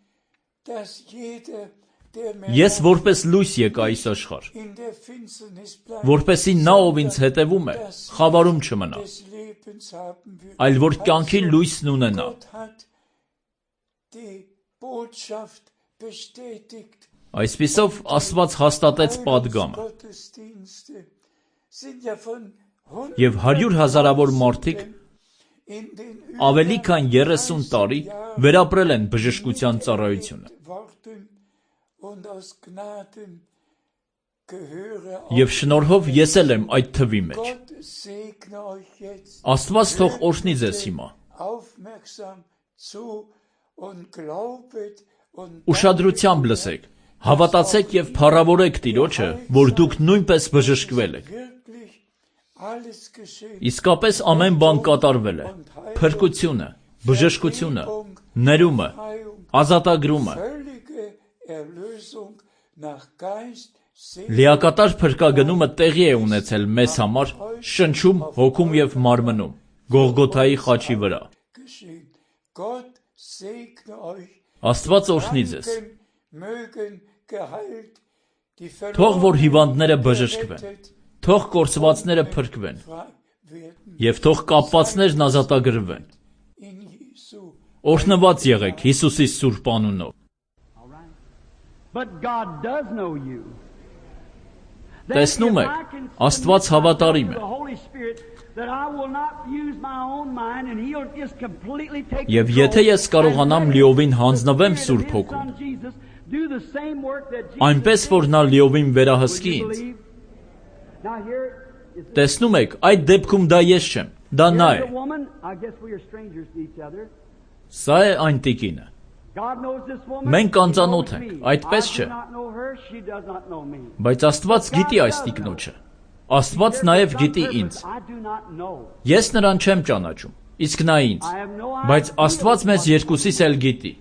dass jeder, der mir Ես որպես լույս եկա այս աշխարհ, in der Finsternis bleibt, որպեսզի նա, ով ինձ հետևում է, խավարում չմնա, des Lebens haben wird. այլ որ կյանքի լույսն ունենա։ Gott hat die Botschaft bestätigt. Այսպիսով Աստված հաստատեց պատգամը, Gottesdienste sind ja von եւ հարյուր հազարավոր մարդիկ in den ավելի քան երեսուն տարի վերապրել են բժշկության ծառայությունը։ Worten und aus Gnaden gehöre Եվ շնորհով ես էլ եմ այդ թվի մեջ։ Gott segne euch jetzt. Աստված թող օրհնի ձեզ հիմա։ Aufmerksam zu und glaubet und Ուշադրությամբ լսեք, հավատացեք եւ փառավորեք Տիրոջը, որ դուք նույնպես բժշկվել եք։ wirklich alles geschehen. Իսկապես ամեն բան կատարվել է։ Փրկությունը, բժշկությունը, ներումը, ազատագրումը, Völlige Erlösung nach Geist, Seele լիակատար փրկագնումը տեղի է ունեցել մեզ համար շնչում, հոգում եւ մարմնում, Գողգոթայի խաչի վրա։ geschehen. Gott segne euch. Աստված օրհնի ձեզ։ Mögen geheilt die Թող որ հիվանդները բժշկվեն, թող կորսվածները փրկվեն werden եւ թող կապվածներն ազատագրվեն։ in Jesu. Օրհնված եղեք Հիսուսի սուրբ անունով։ But God does know you. Տեսնում եք, Աստված հավատարիմ է։ Եվ եթե ես կարողանամ լիովին հանձնվեմ Սուրբ Հոգուն, այնպես որ նա լիովին վերահսկի ինձ։ Տեսնում եք, այդ դեպքում դա ես չեմ, դա նա է։ Սա է այն տիկինը։ Մենք անծանոթ ենք, այդպես չէ։ Բայց Աստված գիտի այս տիկնոջը։ Աստված նաև գիտի ինձ։ Ես նրան չեմ ճանաչում, իսկ նա ինձ։ Բայց Աստված մեզ երկուսիս էլ գիտի։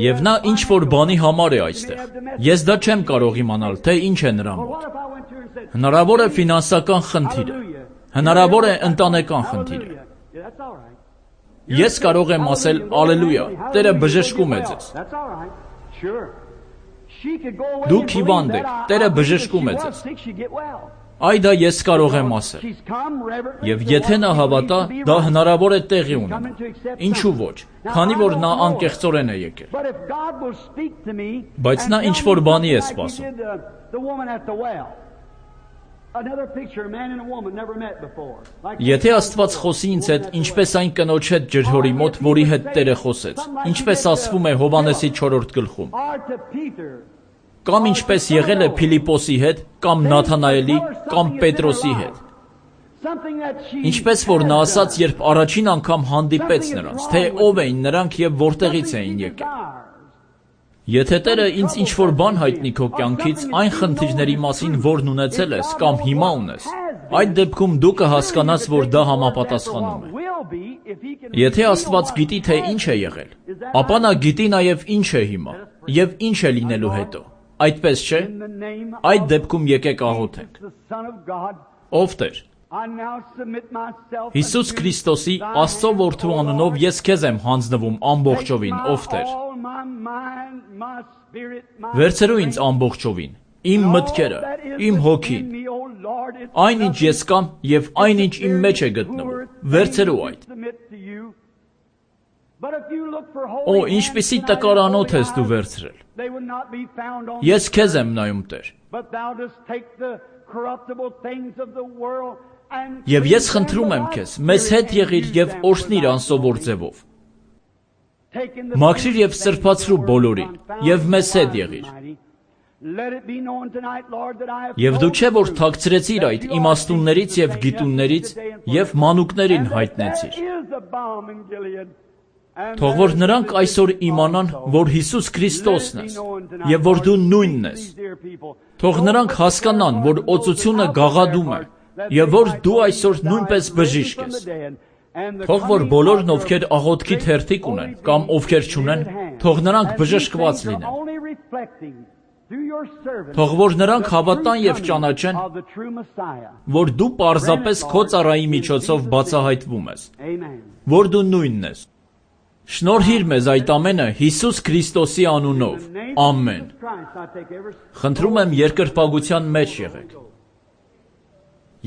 Եվ նա ինչ որ բանի համար է այստեղ։ Ես դա չեմ կարող իմանալ, թե ինչ է նրա մոտ։ Հնարավոր է ֆինանսական խնդիր է։ Հնարավոր է ընտանեկան խնդիր է։ Ես կարող եմ ասել ալելույա, Տերը բժշկում է ձեզ։ Դուք հիվանդ եք, Տերը բժշկում է ձեզ։ Այ դա ես կարող եմ ասել։ Եվ եթե նա հավատա, դա հնարավոր է տեղի ունենա։ Ինչու ոչ, քանի որ նա անկեղծորեն է եկել։ Բայց նա ինչ որ բանի է սպասում։ Եթե Աստված խոսի ինձ հետ, ինչպես այն կնոջ հետ ջրհորի մոտ, որի հետ Տերը խոսեց, ինչպես ասվում է Հովհաննեսի չորրորդ գլխում, կամ ինչպես եղել է Փիլիպոսի հետ, կամ Նաթանայելի, կամ Պետրոսի հետ, ինչպես որ նա ասաց, երբ առաջին անգամ հանդիպեց նրանց, թե ով էին նրանք եւ որտեղից էին եկել։ Եթե Տերը ինձ ինչ-որ բան հայտնի քո կյանքից, այն խնդիրների մասին, որն ունեցել ես կամ հիմա ունես, այդ դեպքում դու կհասկանաս, որ դա համապատասխանում է։ Եթե Աստված գիտի, թե ինչ է եղել, ապա նա գիտի նաև ինչ է հիմա եւ ինչ է լինելու հետո։ Այդպես չէ։ Այդ դեպքում եկեք աղոթենք։ Ով Տեր, Հիսուս Քրիստոսի Աստծո որդու անունով ես քեզ եմ հանձնվում ամբողջովին, ով Տեր։ Վերցրու ինձ ամբողջովին, իմ մտքերը, իմ հոգին, այնինչ ես կամ եւ այնինչ իմ մեջ է գտնվում, վերցրու այդ։ Օ, ինչպիսի տկարանոթ ես դու վերցրել։ Ես քեզ եմ նայում, Տեր։ Եվ ես խնդրում եմ քեզ, մեզ հետ եղիր եւ օրհնիր անսովոր ձևով։ Մաքրիր եւ սրբացրու բոլորին, եւ մեզ հետ եղիր։ Եվ դու չէ որ թաքցրեցիր այդ իմաստուններից եւ գիտուններից եւ մանուկներին հայտնեցիր։ Թող որ նրանք այսօր իմանան, որ Հիսուս Քրիստոսն ես եւ որ դու նույնն ես։ Թող նրանք հասկանան, որ օծությունը գաղադում է եւ որ դու այսօր նույնպես բժիշկ ես։ Թող որ բոլորն ովքեր աղոթքի թերթիկ ունեն կամ ովքեր չունեն, թող նրանք բժշկված լինեն։ Թող որ նրանք հավատան եւ ճանաչեն, որ դու պարզապես քո ծառայի միջոցով բացահայտվում ես, որ դու նույնն ես։ Շնորհիր մեզ այդ ամենը Հիսուս Քրիստոսի անունով, ամեն։ Խնդրում եմ երկրպագության մեջ եղեք։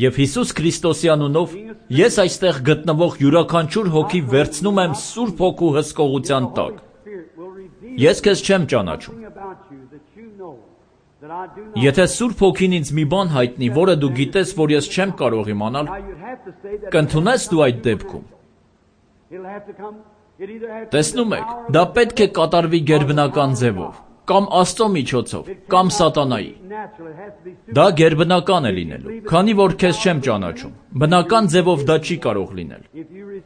Եվ Հիսուս Քրիստոսի անունով ես այստեղ գտնվող յուրաքանչյուր հոգի վերցնում եմ Սուրբ Հոգու հսկողության տակ։ Ես քեզ չեմ ճանաչում։ Եթե Սուրբ Հոգին ինձ մի բան հայտնի, որը դու գիտես, որ ես չեմ կարող իմանալ, կընդունես դու այդ դեպքում։ Տեսնում եք, դա պետք է կատարվի գերբնական ձևով, կամ Աստծո միջոցով, կամ սատանայի։ Դա գերբնական է լինելու, քանի որ քեզ չեմ ճանաչում։ Բնական ձևով դա չի կարող լինել։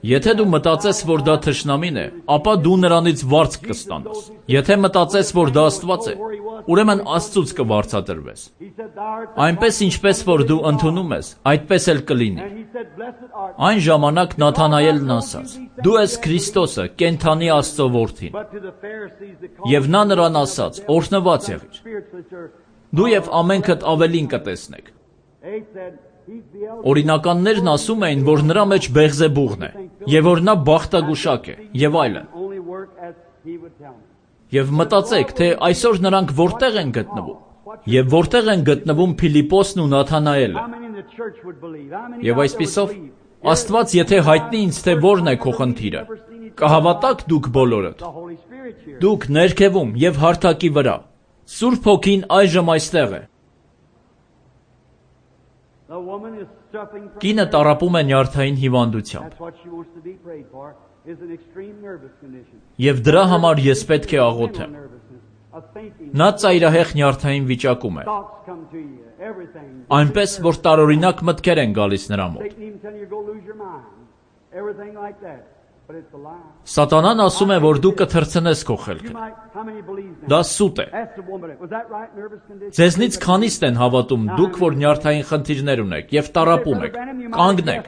Եթե դու մտածես, որ դա թշնամին է, ապա դու նրանից վարձ կստանաս։ Եթե մտածես, որ դա Աստված է, ուրեմն Աստծուց կվարձատրվես։ Այնպես ինչպես որ դու ընդունում ես, այդպես էլ կլինի։ Այն ժամանակ Նաթանայելն ասաց. «Դու ես Քրիստոսը, կենդանի Աստծո որդին»։ Եվ նա նրան ասաց. «Օրհնված եղիր»։ Դու եւ ամենքդ ավելին կտեսնեք։ Օրինականներն ասում էին, որ նրա մեջ Բեղզեբուղն է, եւ որ նա բախտագուշակ է, եւ այլն։ Եվ մտածեք, թե այսօր նրանք որտեղ են գտնվում, եւ որտեղ են գտնվում Փիլիպոսն ու Նաթանայելը։ Եվ այսպիսով, Աստված եթե հայտնի ինձ, թե որն է քո խնդիրը, կհավատաք դուք բոլորդ։ Դուք ներքևում եւ հարթակի վրա։ Սուրբ Հոգին այժմ այստեղ է։ Կինը տառապում է նյարդային հիվանդությամբ։ Եվ դրա համար ես պետք է աղոթեմ։ Նա ծայրահեղ նյարդային վիճակում է։ Այնպես, որ տարօրինակ մտքեր են գալիս նրա մոտ։ Սատանան ասում է, որ դու կթռցնես քո խելքը։ Դա սուտ է։ Ձեզնից քանիստ են հավատում, դուք, որ նյարդային խնդիրներ ունեք եւ տառապում եք, կանգնեք։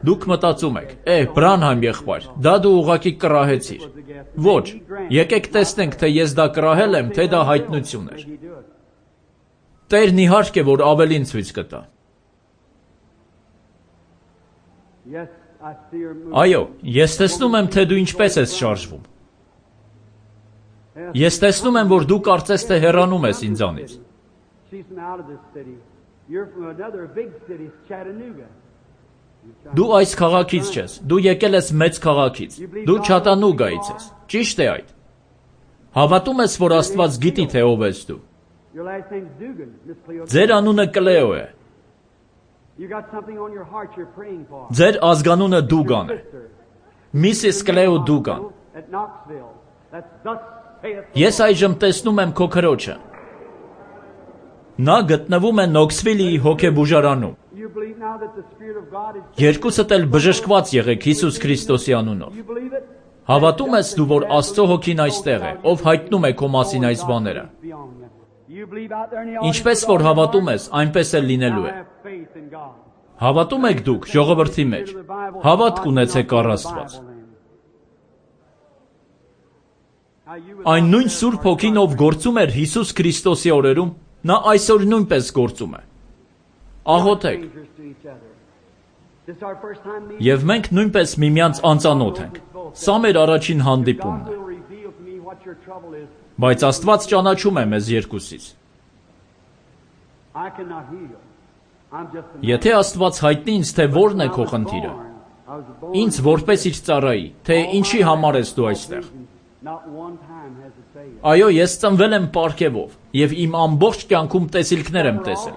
Դուք մտածում եք. «Է, Բրանհայմ եղբայր, դա դու ուղղակի կռահեցիր»։ Ոչ, եկեք տեսնենք, թե ես դա կռահել եմ, թե դա հայտնություն էր։ Տերն իհարկե, որ ավելին ցույց կտա։ Այո, ես տեսնում եմ, թե դու ինչպես ես շարժվում։ Ես տեսնում եմ, որ դու կարծես թե հեռանում ես ինձանից։ Դու այս քաղաքից չես, դու եկել ես մեծ քաղաքից, դու Չատանուգայից ես, ճիշտ է այդ։ Հավատում ես, որ Աստված գիտի, թե ով ես դու։ Ձեր անունը Կլեո է։ Ձեր ազգանունը Դուգան է։ Միսիս Կլեո Դուգան։ Ես այժմ տեսնում եմ քո քրոջը։ Նա գտնվում է Նոքսվիլի հոգեբուժարանում։ Երկուսդ էլ բժշկված եղեք Հիսուս Քրիստոսի անունով։ Հավատում ես դու, որ Աստծո հոգին այստեղ է, ով հայտնում է քո մասին այս բաները։ Ինչպես որ հավատում ես, այնպես էլ լինելու է։ Հավատում եք դուք ժողովրդի մեջ։ Հավատք ունեցեք առ Աստված։ Այն նույն Սուրբ Հոգին, ով գործում էր Հիսուս Քրիստոսի օրերում, նա այսօր նույնպես գործում է։ Աղոթեք։ Եվ մենք նույնպես միմյանց անծանոթ ենք։ Սա մեր առաջին հանդիպումն է։ Բայց Աստված ճանաչում է մեզ երկուսից։ Եթե Աստված հայտնի ինձ, թե որն է քո խնդիրը, ինձ որպես իր ծառայի, թե ինչի համար ես դու այստեղ։ Այո, ես ծնվել եմ պարգևով եւ իմ ամբողջ կյանքում տեսիլքներ եմ տեսել։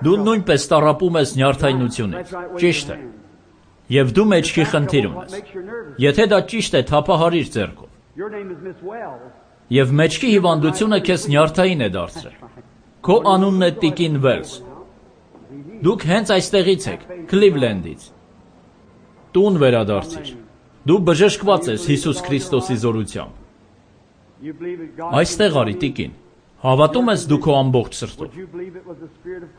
Դու նույնպես տառապում ես նյարդայնությունից, ճիշտ է։ Եվ դու մեջքի խնդիր ունես։ Եթե դա ճիշտ է, թափահարիր ձեռքով։ Եվ մեջքի հիվանդությունը քեզ նյարդային է դարձրել։ Քո անունն է Տիկին Վելս։ Դուք հենց այստեղից եք, Քլիվլենդից։ Տուն վերադարձիր։ Դու բժշկված ես Հիսուս Քրիստոսի զորությամբ։ Այստեղ արի, Տիկին։ Հավատում ես դու քո ամբողջ սրտով։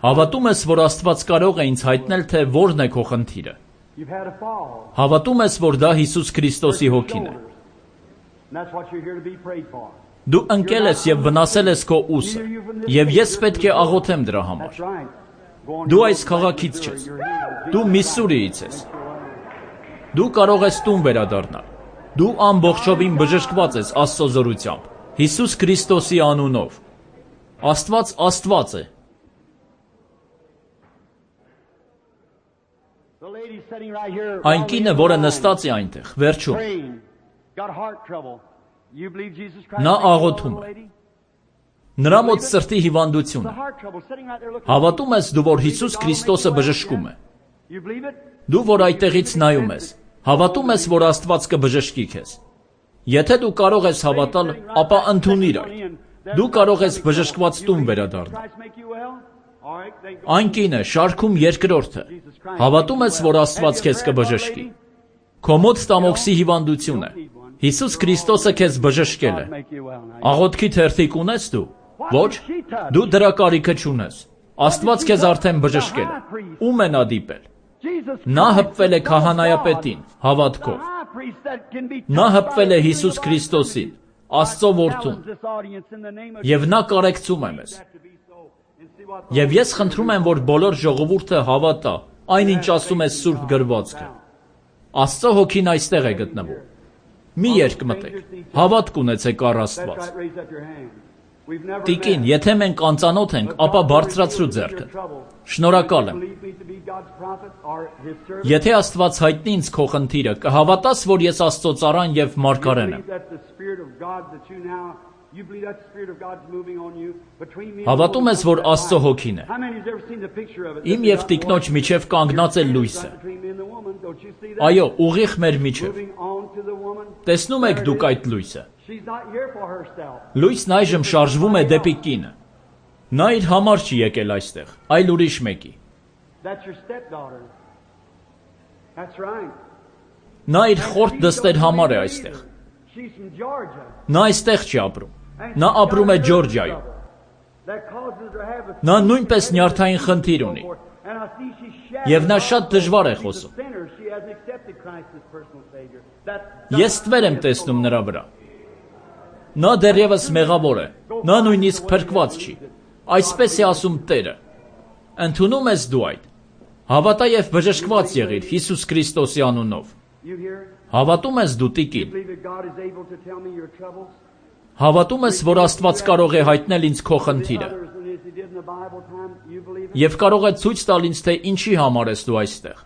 Հավատում ես, որ Աստված կարող է ինձ հայտնել, թե որն է քո խնդիրը։ Հավատում ես, որ դա Հիսուս Քրիստոսի հոգին է։ Դու ընկել ես եւ վնասել ես քո ուսը, եւ ես պետք է աղոթեմ դրա համար։ Դու այս քաղաքից չես։ Դու Միսսուրիից ես։ Դու կարող ես տուն վերադառնալ։ Դու ամբողջովին բժշկված ես Աստծո զորությամբ, Հիսուս Քրիստոսի անունով։ Աստված Աստված է։ Այն կինը, որը նստած է այնտեղ, վերջում, նա աղոթում է։ Նրա մոտ սրտի հիվանդություն է։ Հավատում ես դու, որ Հիսուս Քրիստոսը բժշկում է։ Դու, որ այդտեղից նայում ես, հավատում ես, որ Աստված կբժշկի քեզ։ Եթե դու կարող ես հավատալ, ապա ընդունիր այդ։ Դու կարող ես բժշկված տուն վերադառնալ։ Այն կինը շարքում երկրորդը։ Հավատում ես, որ Աստված քեզ կբժշկի։ Քո մոտ ստամոքսի հիվանդություն է։ Հիսուս Քրիստոսը քեզ բժշկել է։ Աղոթքի թերթիկ ունես դու։ Ոչ, դու դրա կարիքը չունես։ Աստված քեզ արդեն բժշկել է։ Ում է նա դիպել։ Նա հպվել է քահանայապետին, հավատքով։ Նա հպվել է Հիսուս Քրիստոսին, Աստծո որդուն։ Եվ նա կարեկցում է մեզ։ Եվ ես խնդրում եմ, որ բոլոր ժողովուրդը հավատա այն, ինչ ասում է Սուրբ գրվածքը։ Աստծո հոգին այստեղ է գտնվում։ Մի երկմտեք, հավատք ունեցեք առ Աստված։ Տիկին, եթե մենք անծանոթ ենք, ապա բարձրացրու ձեռքդ։ Շնորհակալ եմ։ Եթե Աստված հայտնի ինձ քո խնդիրը, կհավատաս, որ ես Աստծո ծառան եւ մարգարեն եմ։ Հավատում ես, որ Աստծո հոգին է։ Իմ եւ տիկնոջ միջև կանգնած է լույսը։ Այո, ուղիղ մեր միջև։ Տեսնում եք դուք այդ լույսը։ Լույսն այժմ շարժվում է դեպի կինը։ Նա իր համար չի եկել այստեղ, այլ ուրիշ մեկի։ Նա իր խորտ դստեր համար է այստեղ։ Նա այստեղ չի ապրում։ Նա ապրում է Ջորջիայում։ Նա նույնպես նյարդային խնդիր ունի։ Եվ նա շատ դժվար է խոսում։ Ես ստվեր եմ տեսնում նրա վրա։ Նա դեռևս մեղավոր է։ Նա նույնիսկ փրկված չի։ Այսպես է ասում Տերը։ Ընդունում ես դու այդ։ Հավատա եւ բժշկված եղիր Հիսուս Քրիստոսի անունով։ Հավատում ես դու տիկին։ Հավատում ես, որ Աստված կարող է հայտնել ինձ քո խնդիրը։ Եվ կարող է ցույց տալ ինձ, թե ինչի համար ես դու այստեղ։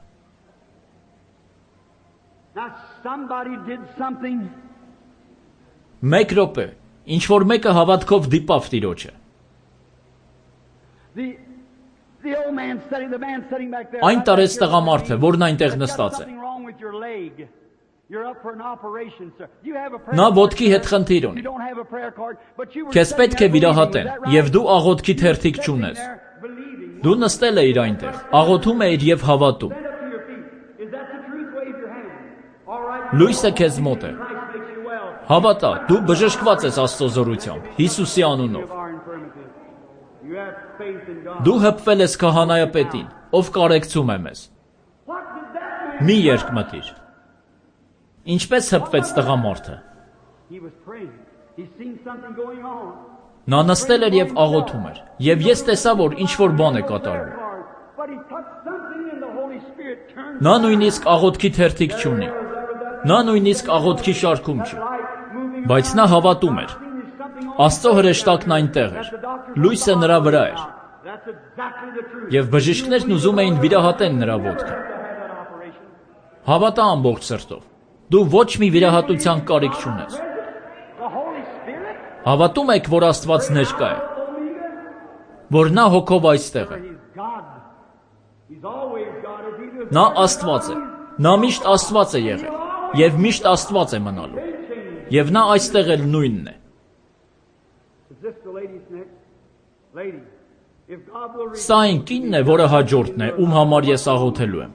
Մեկ րոպե, ինչ որ մեկը հավատքով դիպավ Տիրոջը։ Այն տարեց տղամարդը, որն այնտեղ նստած է։ Նա ոտքի հետ խնդիր ունի։ Քեզ պետք է վիրահատեն, եւ դու աղոթքի թերթիկ չունես։ Դու նստել էիր այնտեղ, աղոթում էիր եւ հավատում։ Լույսը քեզ մոտ է։ Հավատա, դու բժշկված ես Աստծո զորությամբ, Հիսուսի անունով։ Դու հպվել ես քահանայապետին, ով կարեկցում է մեզ։ Մի երկմտիր։ Ինչպես հպվեց տղամարդը։ Նա նստել էր եւ աղոթում էր, եւ ես տեսա, որ ինչ-որ բան է կատարվում։ Նա նույնիսկ աղոթքի թերթիկ չունի։ Նա նույնիսկ աղոթքի շարքում չի։ Բայց նա հավատում էր։ Աստծո հրեշտակն այնտեղ էր։ Լույսը նրա վրա էր։ Եվ բժիշկներն ուզում էին վիրահատեն նրա ոտքը։ Հավատա ամբողջ սրտով։ Դու ոչ մի վիրահատության կարիք չունես։ Հավատում եք, որ Աստված ներկա է, որ նա հոգով այստեղ է։ Նա Աստված է։ Նա միշտ Աստված է եղել եւ միշտ Աստված է մնալու։ Եվ նա այստեղ էլ նույնն է։ Սա այն կինն է, որը հաջորդն է, ում համար ես աղոթելու եմ։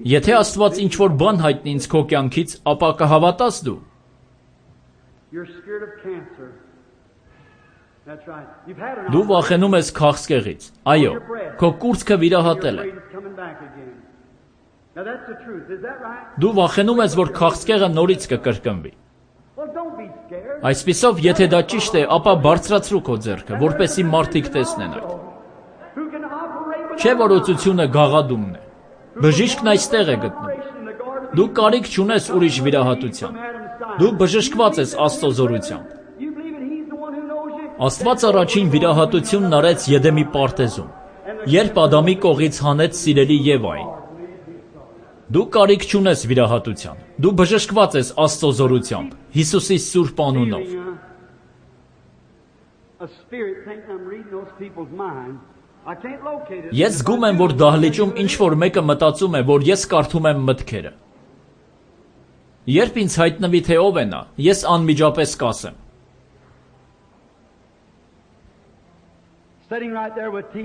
Եթե Աստված ինչ-որ բան հայտնի ինձ քո կյանքից, ապա կհավատաս դու։ Դու վախենում ես քաղցկեղից։ Այո, քո կուրծքը վիրահատել է։ Դու վախենում ես, որ քաղցկեղը նորից կկրկնվի։ Այսպիսով, եթե դա ճիշտ է, ապա բարձրացրու քո ձեռքը, որպեսզի մարդիկ տեսնեն այդ։ Չէ՞ որ օծությունը գաղադումն է։ Բժիշկն այստեղ է գտնվում։ Դու կարիք չունես ուրիշ վիրահատության։ Դու բժշկված ես Աստծո զորությամբ։ Աստված առաջին վիրահատությունն արեց Եդեմի պարտեզում, երբ Ադամի կողից հանեց սիրելի Եվային։ Դու կարիք չունես վիրահատության։ Դու բժշկված ես Աստծո զորությամբ, Հիսուսի սուրբ անունով։ Ես զգում եմ, որ դահլիճում ինչ-որ մեկը մտածում է, որ ես կարդում եմ մտքերը։ Երբ ինձ հայտնվի, թե ով է նա, ես անմիջապես կասեմ։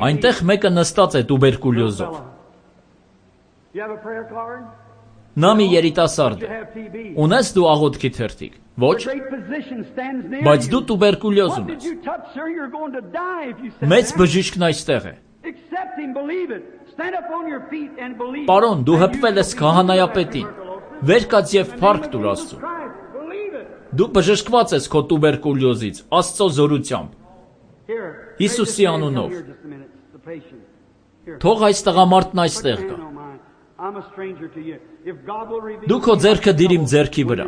Այնտեղ մեկը նստած է տուբերկուլյոզով։ Նա մի երիտասարդ է։ Ունես դու աղոթքի թերթիկ։ Ոչ։ Բայց դու տուբերկուլյոզ ունես։ Մեծ բժիշկն այստեղ է։ Պարոն, դու հպվել ես քահանայապետին։ Վեր կաց եւ փառք տուր Աստծուն։ Դու բժշկված ես քո տուբերկուլյոզից Աստծո զորությամբ։ Հիսուսի անունով։ Թող այս տղամարդն այստեղ գա։ Դու քո ձեռքը դիր իմ ձեռքի վրա։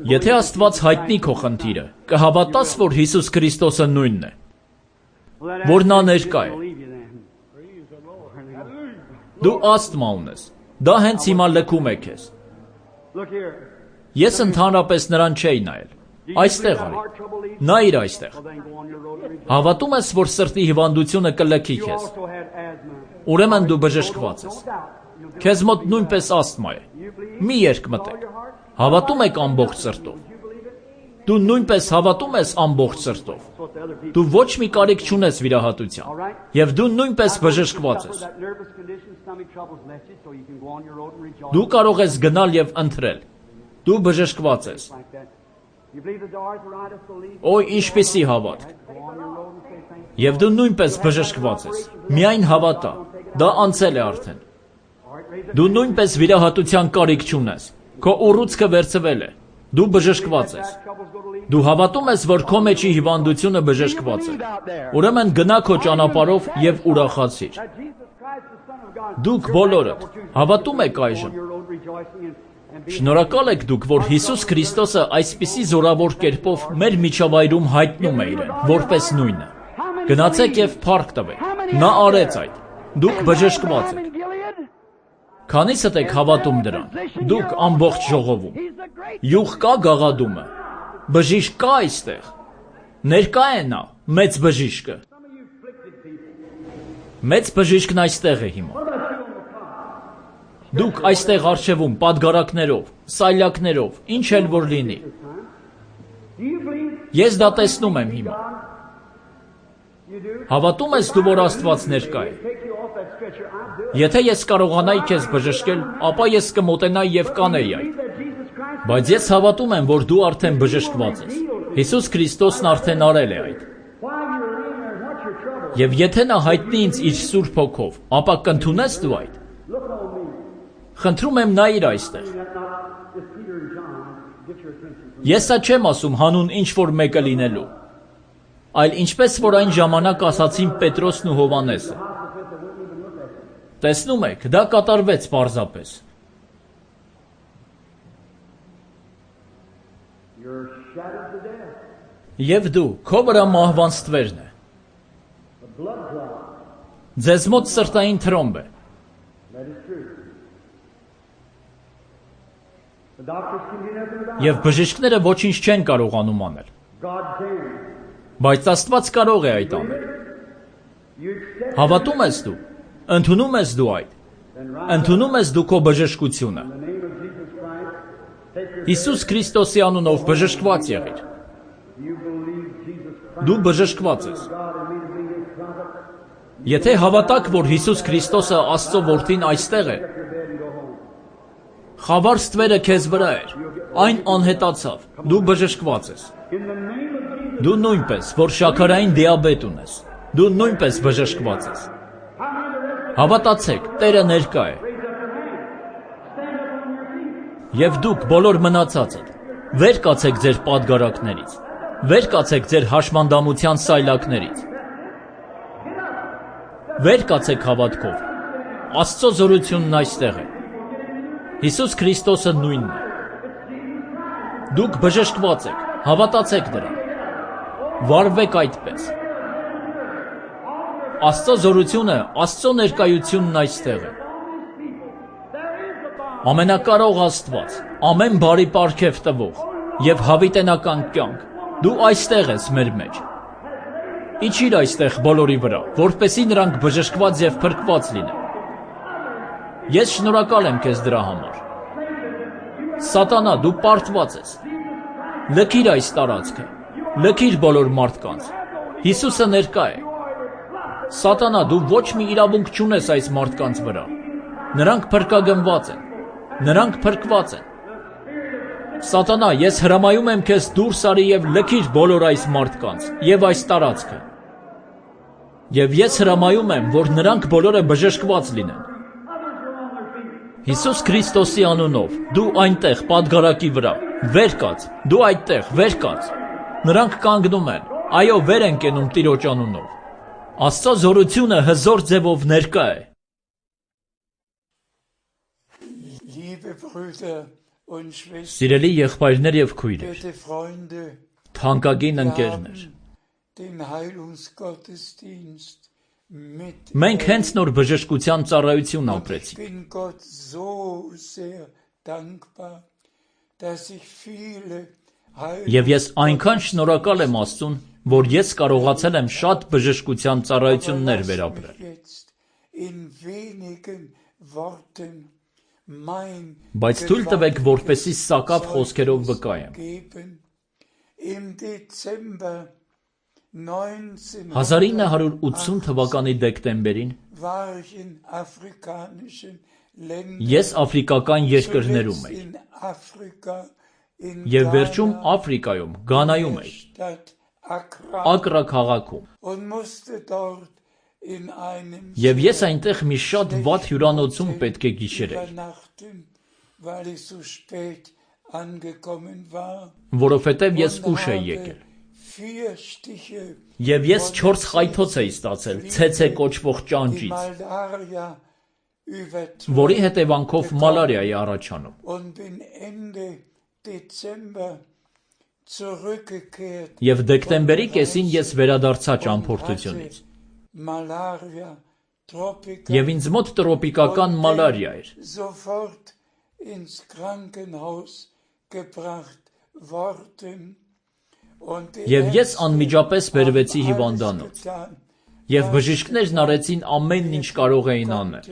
Եթե Աստված հայտնի քո խնդիրը, կհավատաս, որ Հիսուս Քրիստոսը նույնն է, որ նա ներկա է։ Դու ասթմա ունես։ Դա հենց հիմա լքում է քեզ։ Ես ընդհանրապես նրան չէի նայել։ Այստեղ արի։ Նայիր այստեղ։ Հավատում ես, որ սրտի հիվանդությունը կլքի քեզ։ Ուրեմն դու բժշկված ես։ Քեզ մոտ նույնպես ասթմա է։ Մի երկմտեք։ Հավատում եք ամբողջ սրտով։ Դու նույնպես հավատում ես ամբողջ սրտով։ Դու ոչ մի կարիք չունես վիրահատության։ Եվ դու նույնպես բժշկված ես։ Դու կարող ես գնալ եւ ընթրել։ Դու բժշկված ես։ Օй, ինչպիսի հավատք։ Եվ դու նույնպես բժշկված ես։ Միայն հավատա։ Դա անցել է արդեն։ Դու նույնպես վիրահատության կարիք չունես։ Քո ուռուցքը վերցվել է։ Դու բժշկված ես։ Դու հավատում ես, որ քո մեջի հիվանդությունը բժշկված է։ Ուրեմն գնա քո ճանապարհով եւ ուրախացիր։ Դուք բոլորդ հավատում եք այժմ։ Շնորհակալ եք դուք, որ Հիսուս Քրիստոսը այսպիսի զորավոր կերպով մեր միջավայրում հայտնում է իրեն, որպես նույնը։ Գնացեք եւ փառք տվեք։ Նա արեց այդ։ Դուք բժշկված եք։ Քանիսդ եք հավատում դրան։ Դուք ամբողջ ժողովում։ Յուղ կա գաղադումը։ Բժիշկ կա այստեղ։ Ներկա է նա, մեծ բժիշկը։ Մեծ բժիշկն այստեղ է հիմա։ Դուք այստեղ արժևում պատգարակներով, սայլակներով, ինչ էլ որ լինի։ Ես դա տեսնում եմ հիմա։ Հավատում ես դու, որ Աստված ներկա է։ Եթե ես կարողանայի քեզ բժշկել, ապա ես կմոտենայի եւ կանեի այդ։ Բայց ես հավատում եմ, որ դու արդեն բժշկված ես։ Հիսուս Քրիստոսն արդեն արել է այդ։ Եվ եթե նա հայտնի ինձ իր Սուրբ Հոգով, ապա կընդունես դու այդ։ Խնդրում եմ նայիր այստեղ։ Ես սա չեմ ասում հանուն ինչ որ մեկը լինելու, այլ ինչպես որ այն ժամանակ ասացին Պետրոսն ու Հովանեսը։ Տեսնում եք, դա կատարվեց պարզապես։ Եվ դու, քո վրա մահվան ստվերն է։ Ձեզ մոտ սրտային թրոմբ է։ Եվ բժիշկները ոչինչ չեն կարողանում անել։ Բայց Աստված կարող է այդ անել։ Հավատում ես դու, ընդունում ես դու այդ, ընդունում ես դու քո բժշկությունը։ Հիսուս Քրիստոսի անունով բժշկված եղիր։ Դու բժշկված ես։ Եթե հավատաք, որ Հիսուս Քրիստոսը Աստծո որդին այստեղ է, խավար ստվերը քեզ վրա էր, այն անհետացավ, դու բժշկված ես։ Դու նույնպես, որ շաքարային դիաբետ ունես, դու նույնպես բժշկված ես։ Հավատացեք, Տերը ներկա է։ Եվ դուք բոլոր մնացածդ, վեր կացեք ձեր պատգարակներից, վեր կացեք ձեր հաշմանդամության սայլակներից։ Վեր կացեք հավատքով, Աստծո զորությունն այստեղ է։ Հիսուս Քրիստոսը նույնն է։ Դուք բժշկված եք, հավատացեք դրան։ Վարվեք այդպես։ Աստծո զորությունը, Աստծո ներկայությունն այստեղ է։ Ամենակարող Աստված, ամեն բարի պարգև տվող եւ հավիտենական կյանք, դու այստեղ ես մեր մեջ։ Իջիր այստեղ բոլորի վրա, որպեսզի նրանք բժշկված եւ փրկված լինեն։ Ես շնորհակալ եմ քեզ դրա համար։ Սատանա, դու պարտված ես։ Լքիր այս տարածքը, լքիր բոլոր մարդկանց։ Հիսուսը ներկա է։ Սատանա, դու ոչ մի իրավունք չունես այս մարդկանց վրա։ Նրանք փրկագնված են։ Նրանք փրկված են։ Սատանա, ես հրամայում եմ քեզ դուրս արի եւ լքիր բոլոր այս մարդկանց եւ այս տարածքը։ Եվ ես հրամայում եմ, որ նրանք բոլորը բժշկված լինեն։ Հիսուս Քրիստոսի անունով, դու այնտեղ պատգարակի վրա, վեր կաց, դու այդտեղ, վեր կաց։ Նրանք կանգնում են, այո, վեր են կենում Տիրոջ անունով։ Աստծո զորությունը հզոր ձևով ներկա է։ Սիրելի եղբայրներ եւ քույրեր, թանկագին ընկերներ, մենք հենց նոր բժշկության ծառայություն ապրեցինք։ Եվ ես այնքան շնորհակալ եմ Աստծուն, որ ես կարողացել եմ շատ բժշկության ծառայություններ վերապրել։ Բայց թույլ տվեք, որպեսզի սակավ խոսքերով վկայեմ։ հազար ինը հարյուր ութսուն թվականի դեկտեմբերին ես աֆրիկական երկրներում էի եւ վերջում Աֆրիկայում, Գանայում էի, Ակրա քաղաքում։ Եվ ես այնտեղ մի շատ վատ հյուրանոցում պետք է գիշերեի, որովհետև ես ուշ էի եկել։ Եվ ես չորս խայթոց էի ստացել ցեցե կոչվող ճանճից, որի հետևանքով մալարիա է առաջանում։ Եվ դեկտեմբերի կեսին ես վերադարձա ճամփորդությունից։ Եվ ինձ մոտ տրոպիկական մալարիա էր։ Եվ ես անմիջապես բերվեցի հիվանդանոց։ Եվ բժիշկներն արեցին ամեն ինչ կարող էին անել։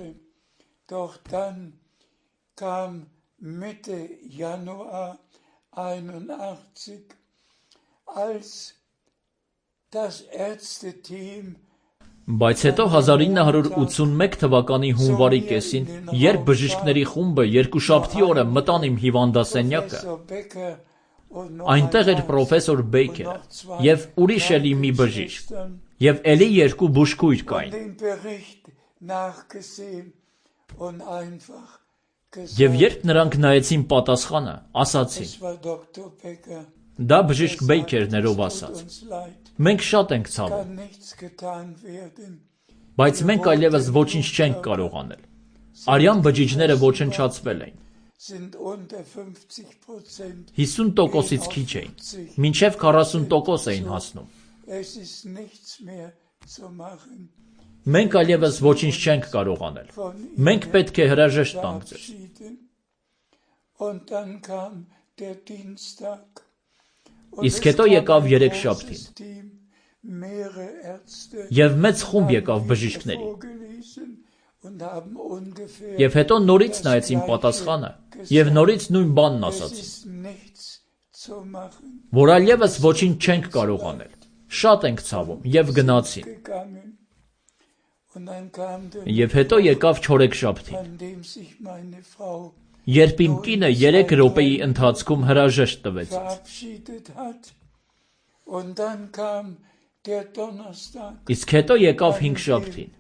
Բայց հետո հազար ինը հարյուր ութսունմեկ թվականի հունվարի կեսին, երբ բժիշկների խումբը երկուշաբթի օրը մտան իմ հիվանդասենյակը, այնտեղ էր պրոֆեսոր Բեյքերը եւ ուրիշ էլի մի բժիշկ, եւ էլի երկու բուժքույր կային։ Եվ երբ նրանք նայեցին պատասխանը, ասացին. դա բժիշկ Բեյքերն էր, ով ասաց. մենք շատ ենք ցավում, բայց մենք այլևս ոչինչ չենք կարող անել։ Արյան բջիջները ոչնչացվել էին։ հիսուն տոկոսից քիչ էին, մինչև քառասուն տոկոս էին հասնում։ Մենք այլևս ոչինչ չենք կարող անել։ Մենք պետք է հրաժեշտ տանք ձեզ։ Իսկ հետո եկավ երեքշաբթին, եւ մեծ խումբ եկավ բժիշկների։ Եվ հետո նորից նայեցին պատասխանը, եւ նորից նույն բանն ասացին, որ այլևս ոչինչ չենք կարող անել, շատ ենք ցավում, եւ գնացին։ Եվ հետո եկավ չորեքշաբթին, երբ իմ կինը երեք րոպեի ընթացքում հրաժեշտ տվեց ինձ։ Իսկ հետո եկավ հինգշաբթին,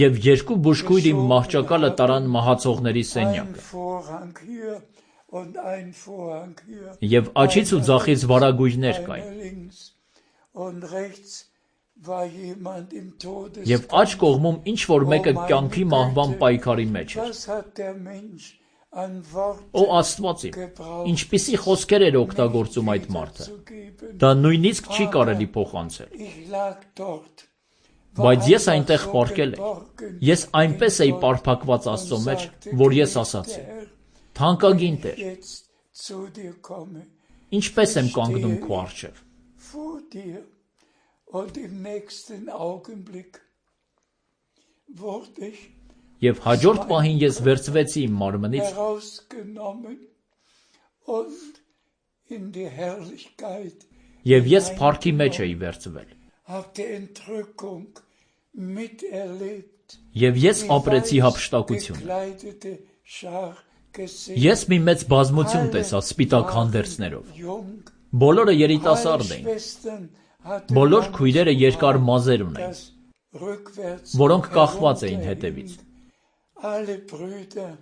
եւ երկու բուժքույր իմ մահճակալը տարան մահացողների սենյակը։ Եվ աչից ու ձախից վարագույրներ կային։ war jemand im Եվ աջ Todeskampf. կողմում ինչ որ մեկը կյանքի մահվան պայքարի մեջ էր։ Was hat der Mensch an Worten Ո Աստված իմ, ինչպիսի խոսքեր էր օգտագործում այդ մարդը։ zu geben? Դա նույնիսկ չի կարելի փոխանցել։ Ich lag dort. Բայց ես այնտեղ պառկել էի։ Ես այնպես էի պարփակված Աստծո մեջ, որ ես ասացի. Թանկագին Տեր, Jetzt zu dir komme. ինչպես եմ կանգնում քո առջև։ Vor dir. Und im nächsten Augenblick wurde ich Եվ հաջորդ պահին ես վերցվեցի իմ մարմնից herausgenommen und in die Herrlichkeit, եւ ես փառքի մեջ էի վերցվել։ hab die Entrückung miterlebt. Եվ ես Die ապրեցի weiß հափշտակությունը։ gekleidete Schar gesehen. Ես մի մեծ բազմություն Alle տեսա սպիտակ waren հանդերձներով։ jung. Բոլորը Alle երիտասարդ էին։ Schwestern hatten Բոլոր langes քույրերը երկար Haar, մազեր ունեին, das rückwärts որոնք կախված էին herunterhing. հետևից։ Alle Brüder,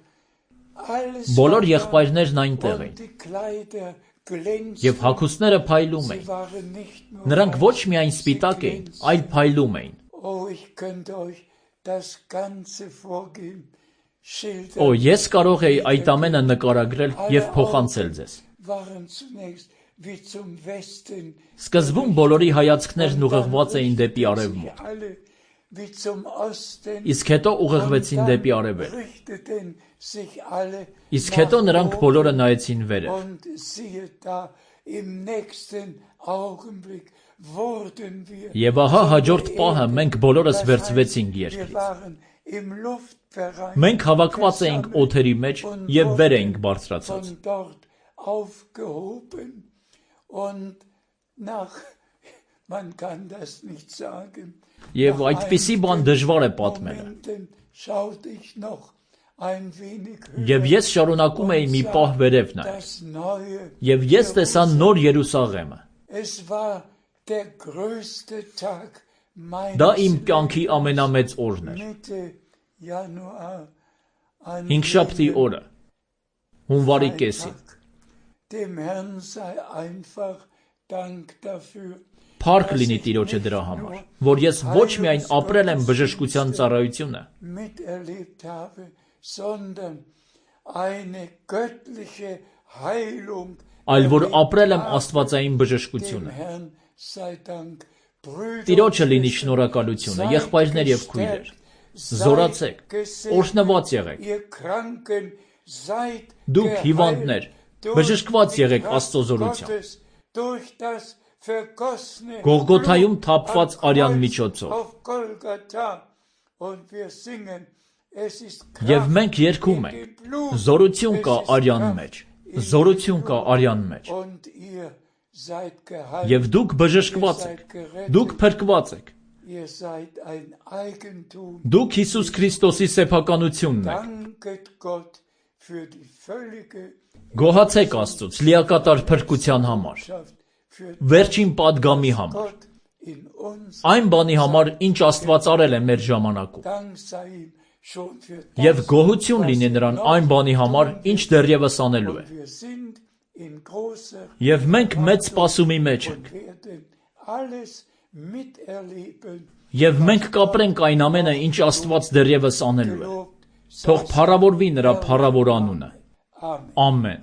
alles Բոլոր war da, եղբայրներն այնտեղ und էին, die Kleider glänzten. եւ հագուստները փայլում Sie էին։ waren nicht nur Նրանք ոչ weiß, միայն sie սպիտակ էին, glänzten. այլ փայլում էին։ Oh, ich könnte euch das ganze Vorgehen schildern. Օ, ես կարող էի այդ ամենը նկարագրել եւ փոխանցել ձեզ։ Waren zunächst wie zum Westen. Սկզբում բոլորի հայացքներն Und dann ուղղված էին դեպի richteten արևմուտք, sich alle wie zum Osten. իսկ հետո ուղղվեցին Und դեպի dann արևելք, richteten sich alle իսկ nach հետո նրանք oben. բոլորը նայեցին վերև։ Und siehe da, im nächsten Augenblick wurden wir Եվ ահա von հաջորդ der պահը Erde. մենք բոլորս Das heißt, վերցվեցինք wir երկրից։ waren im Luftbereich Մենք հավաքված էինք versammelt օթերի մեջ und եւ վեր wurden էինք բարձրացած։ von dort aufgehoben und nach, man kann das nicht sagen, Եվ nach այդպիսի բան դժվար է einigen պատմելը։ Momenten schaute ich noch ein wenig höher. Եվ ես շարունակում էի մի պահ վերև նայել։ Das neue Եվ ես տեսա նոր Երուսաղեմը։ Es war der größte Tag Դա meines իմ կյանքի ամենամեծ օրն էր։ Mitte Januar an Հինգշաբթի jenem օրը, հունվարի կեսին։ Freitag. Dem Herrn sei einfach Dank dafür. Փառք լինի Տիրոջը դրա համար, որ ես ոչ միայն ապրել եմ բժշկության ծառայությունը, Miterlebt habe, sondern eine göttliche Heilung. այլ որ erlebt ապրել եմ habe. աստվածային Dem բժշկությունը։ Herrn sei Dank. Brüder Տիրոջը und լինի Schwestern, շնորհակալությունը, seid եղբայրներ եւ քույրեր։ gestärkt, Զորացեք, seid gesegnet, օրհնված եղեք։ ihr Kranken, seid Դուք geheilt հիվանդներ, durch բժշկված die եղեք Kraft Աստծո զորությամբ։ Gottes, durch das vergossene Գողգոթայում Blut թափված am արյան Kreuz միջոցով։ auf Golgatha. Und wir singen, es ist Եվ Kraft մենք երգում in ենք. dem Blut, Զորություն կա es ist արյան Kraft մեջ, in զորություն dem կա Blut. արյան մեջ։ Und ihr seid geheilt. Եվ դուք բժշկված եք, դուք փրկված եք։ Ihr seid ein Eigentum. Դուք Հիսուս Քրիստոսի սեփականությունն եք։ Danket Gott für die völlige Գոհացեք Աստծուց լիակատար փրկության համար, Botschaft, für վերջին падգամի համար, Gott in uns. այն բանի համար, ինչ Աստված արել է մեր ժամանակում։ Dank sei ihm schon für Եվ das, գոհություն was լինի er նրան noch այն բանի համար, tun ինչ wird. դեռևս անելու է։ Und wir sind in großer Եվ մենք մեծ սպասումի մեջ ենք, und werden alles miterleben. եւ մենք կապրենք այն ամենը, ինչ Աստված դեռևս անելու է։ Gelobt Թող sei փառավորվի նրա փառավոր անունը։ Amen. Ամեն։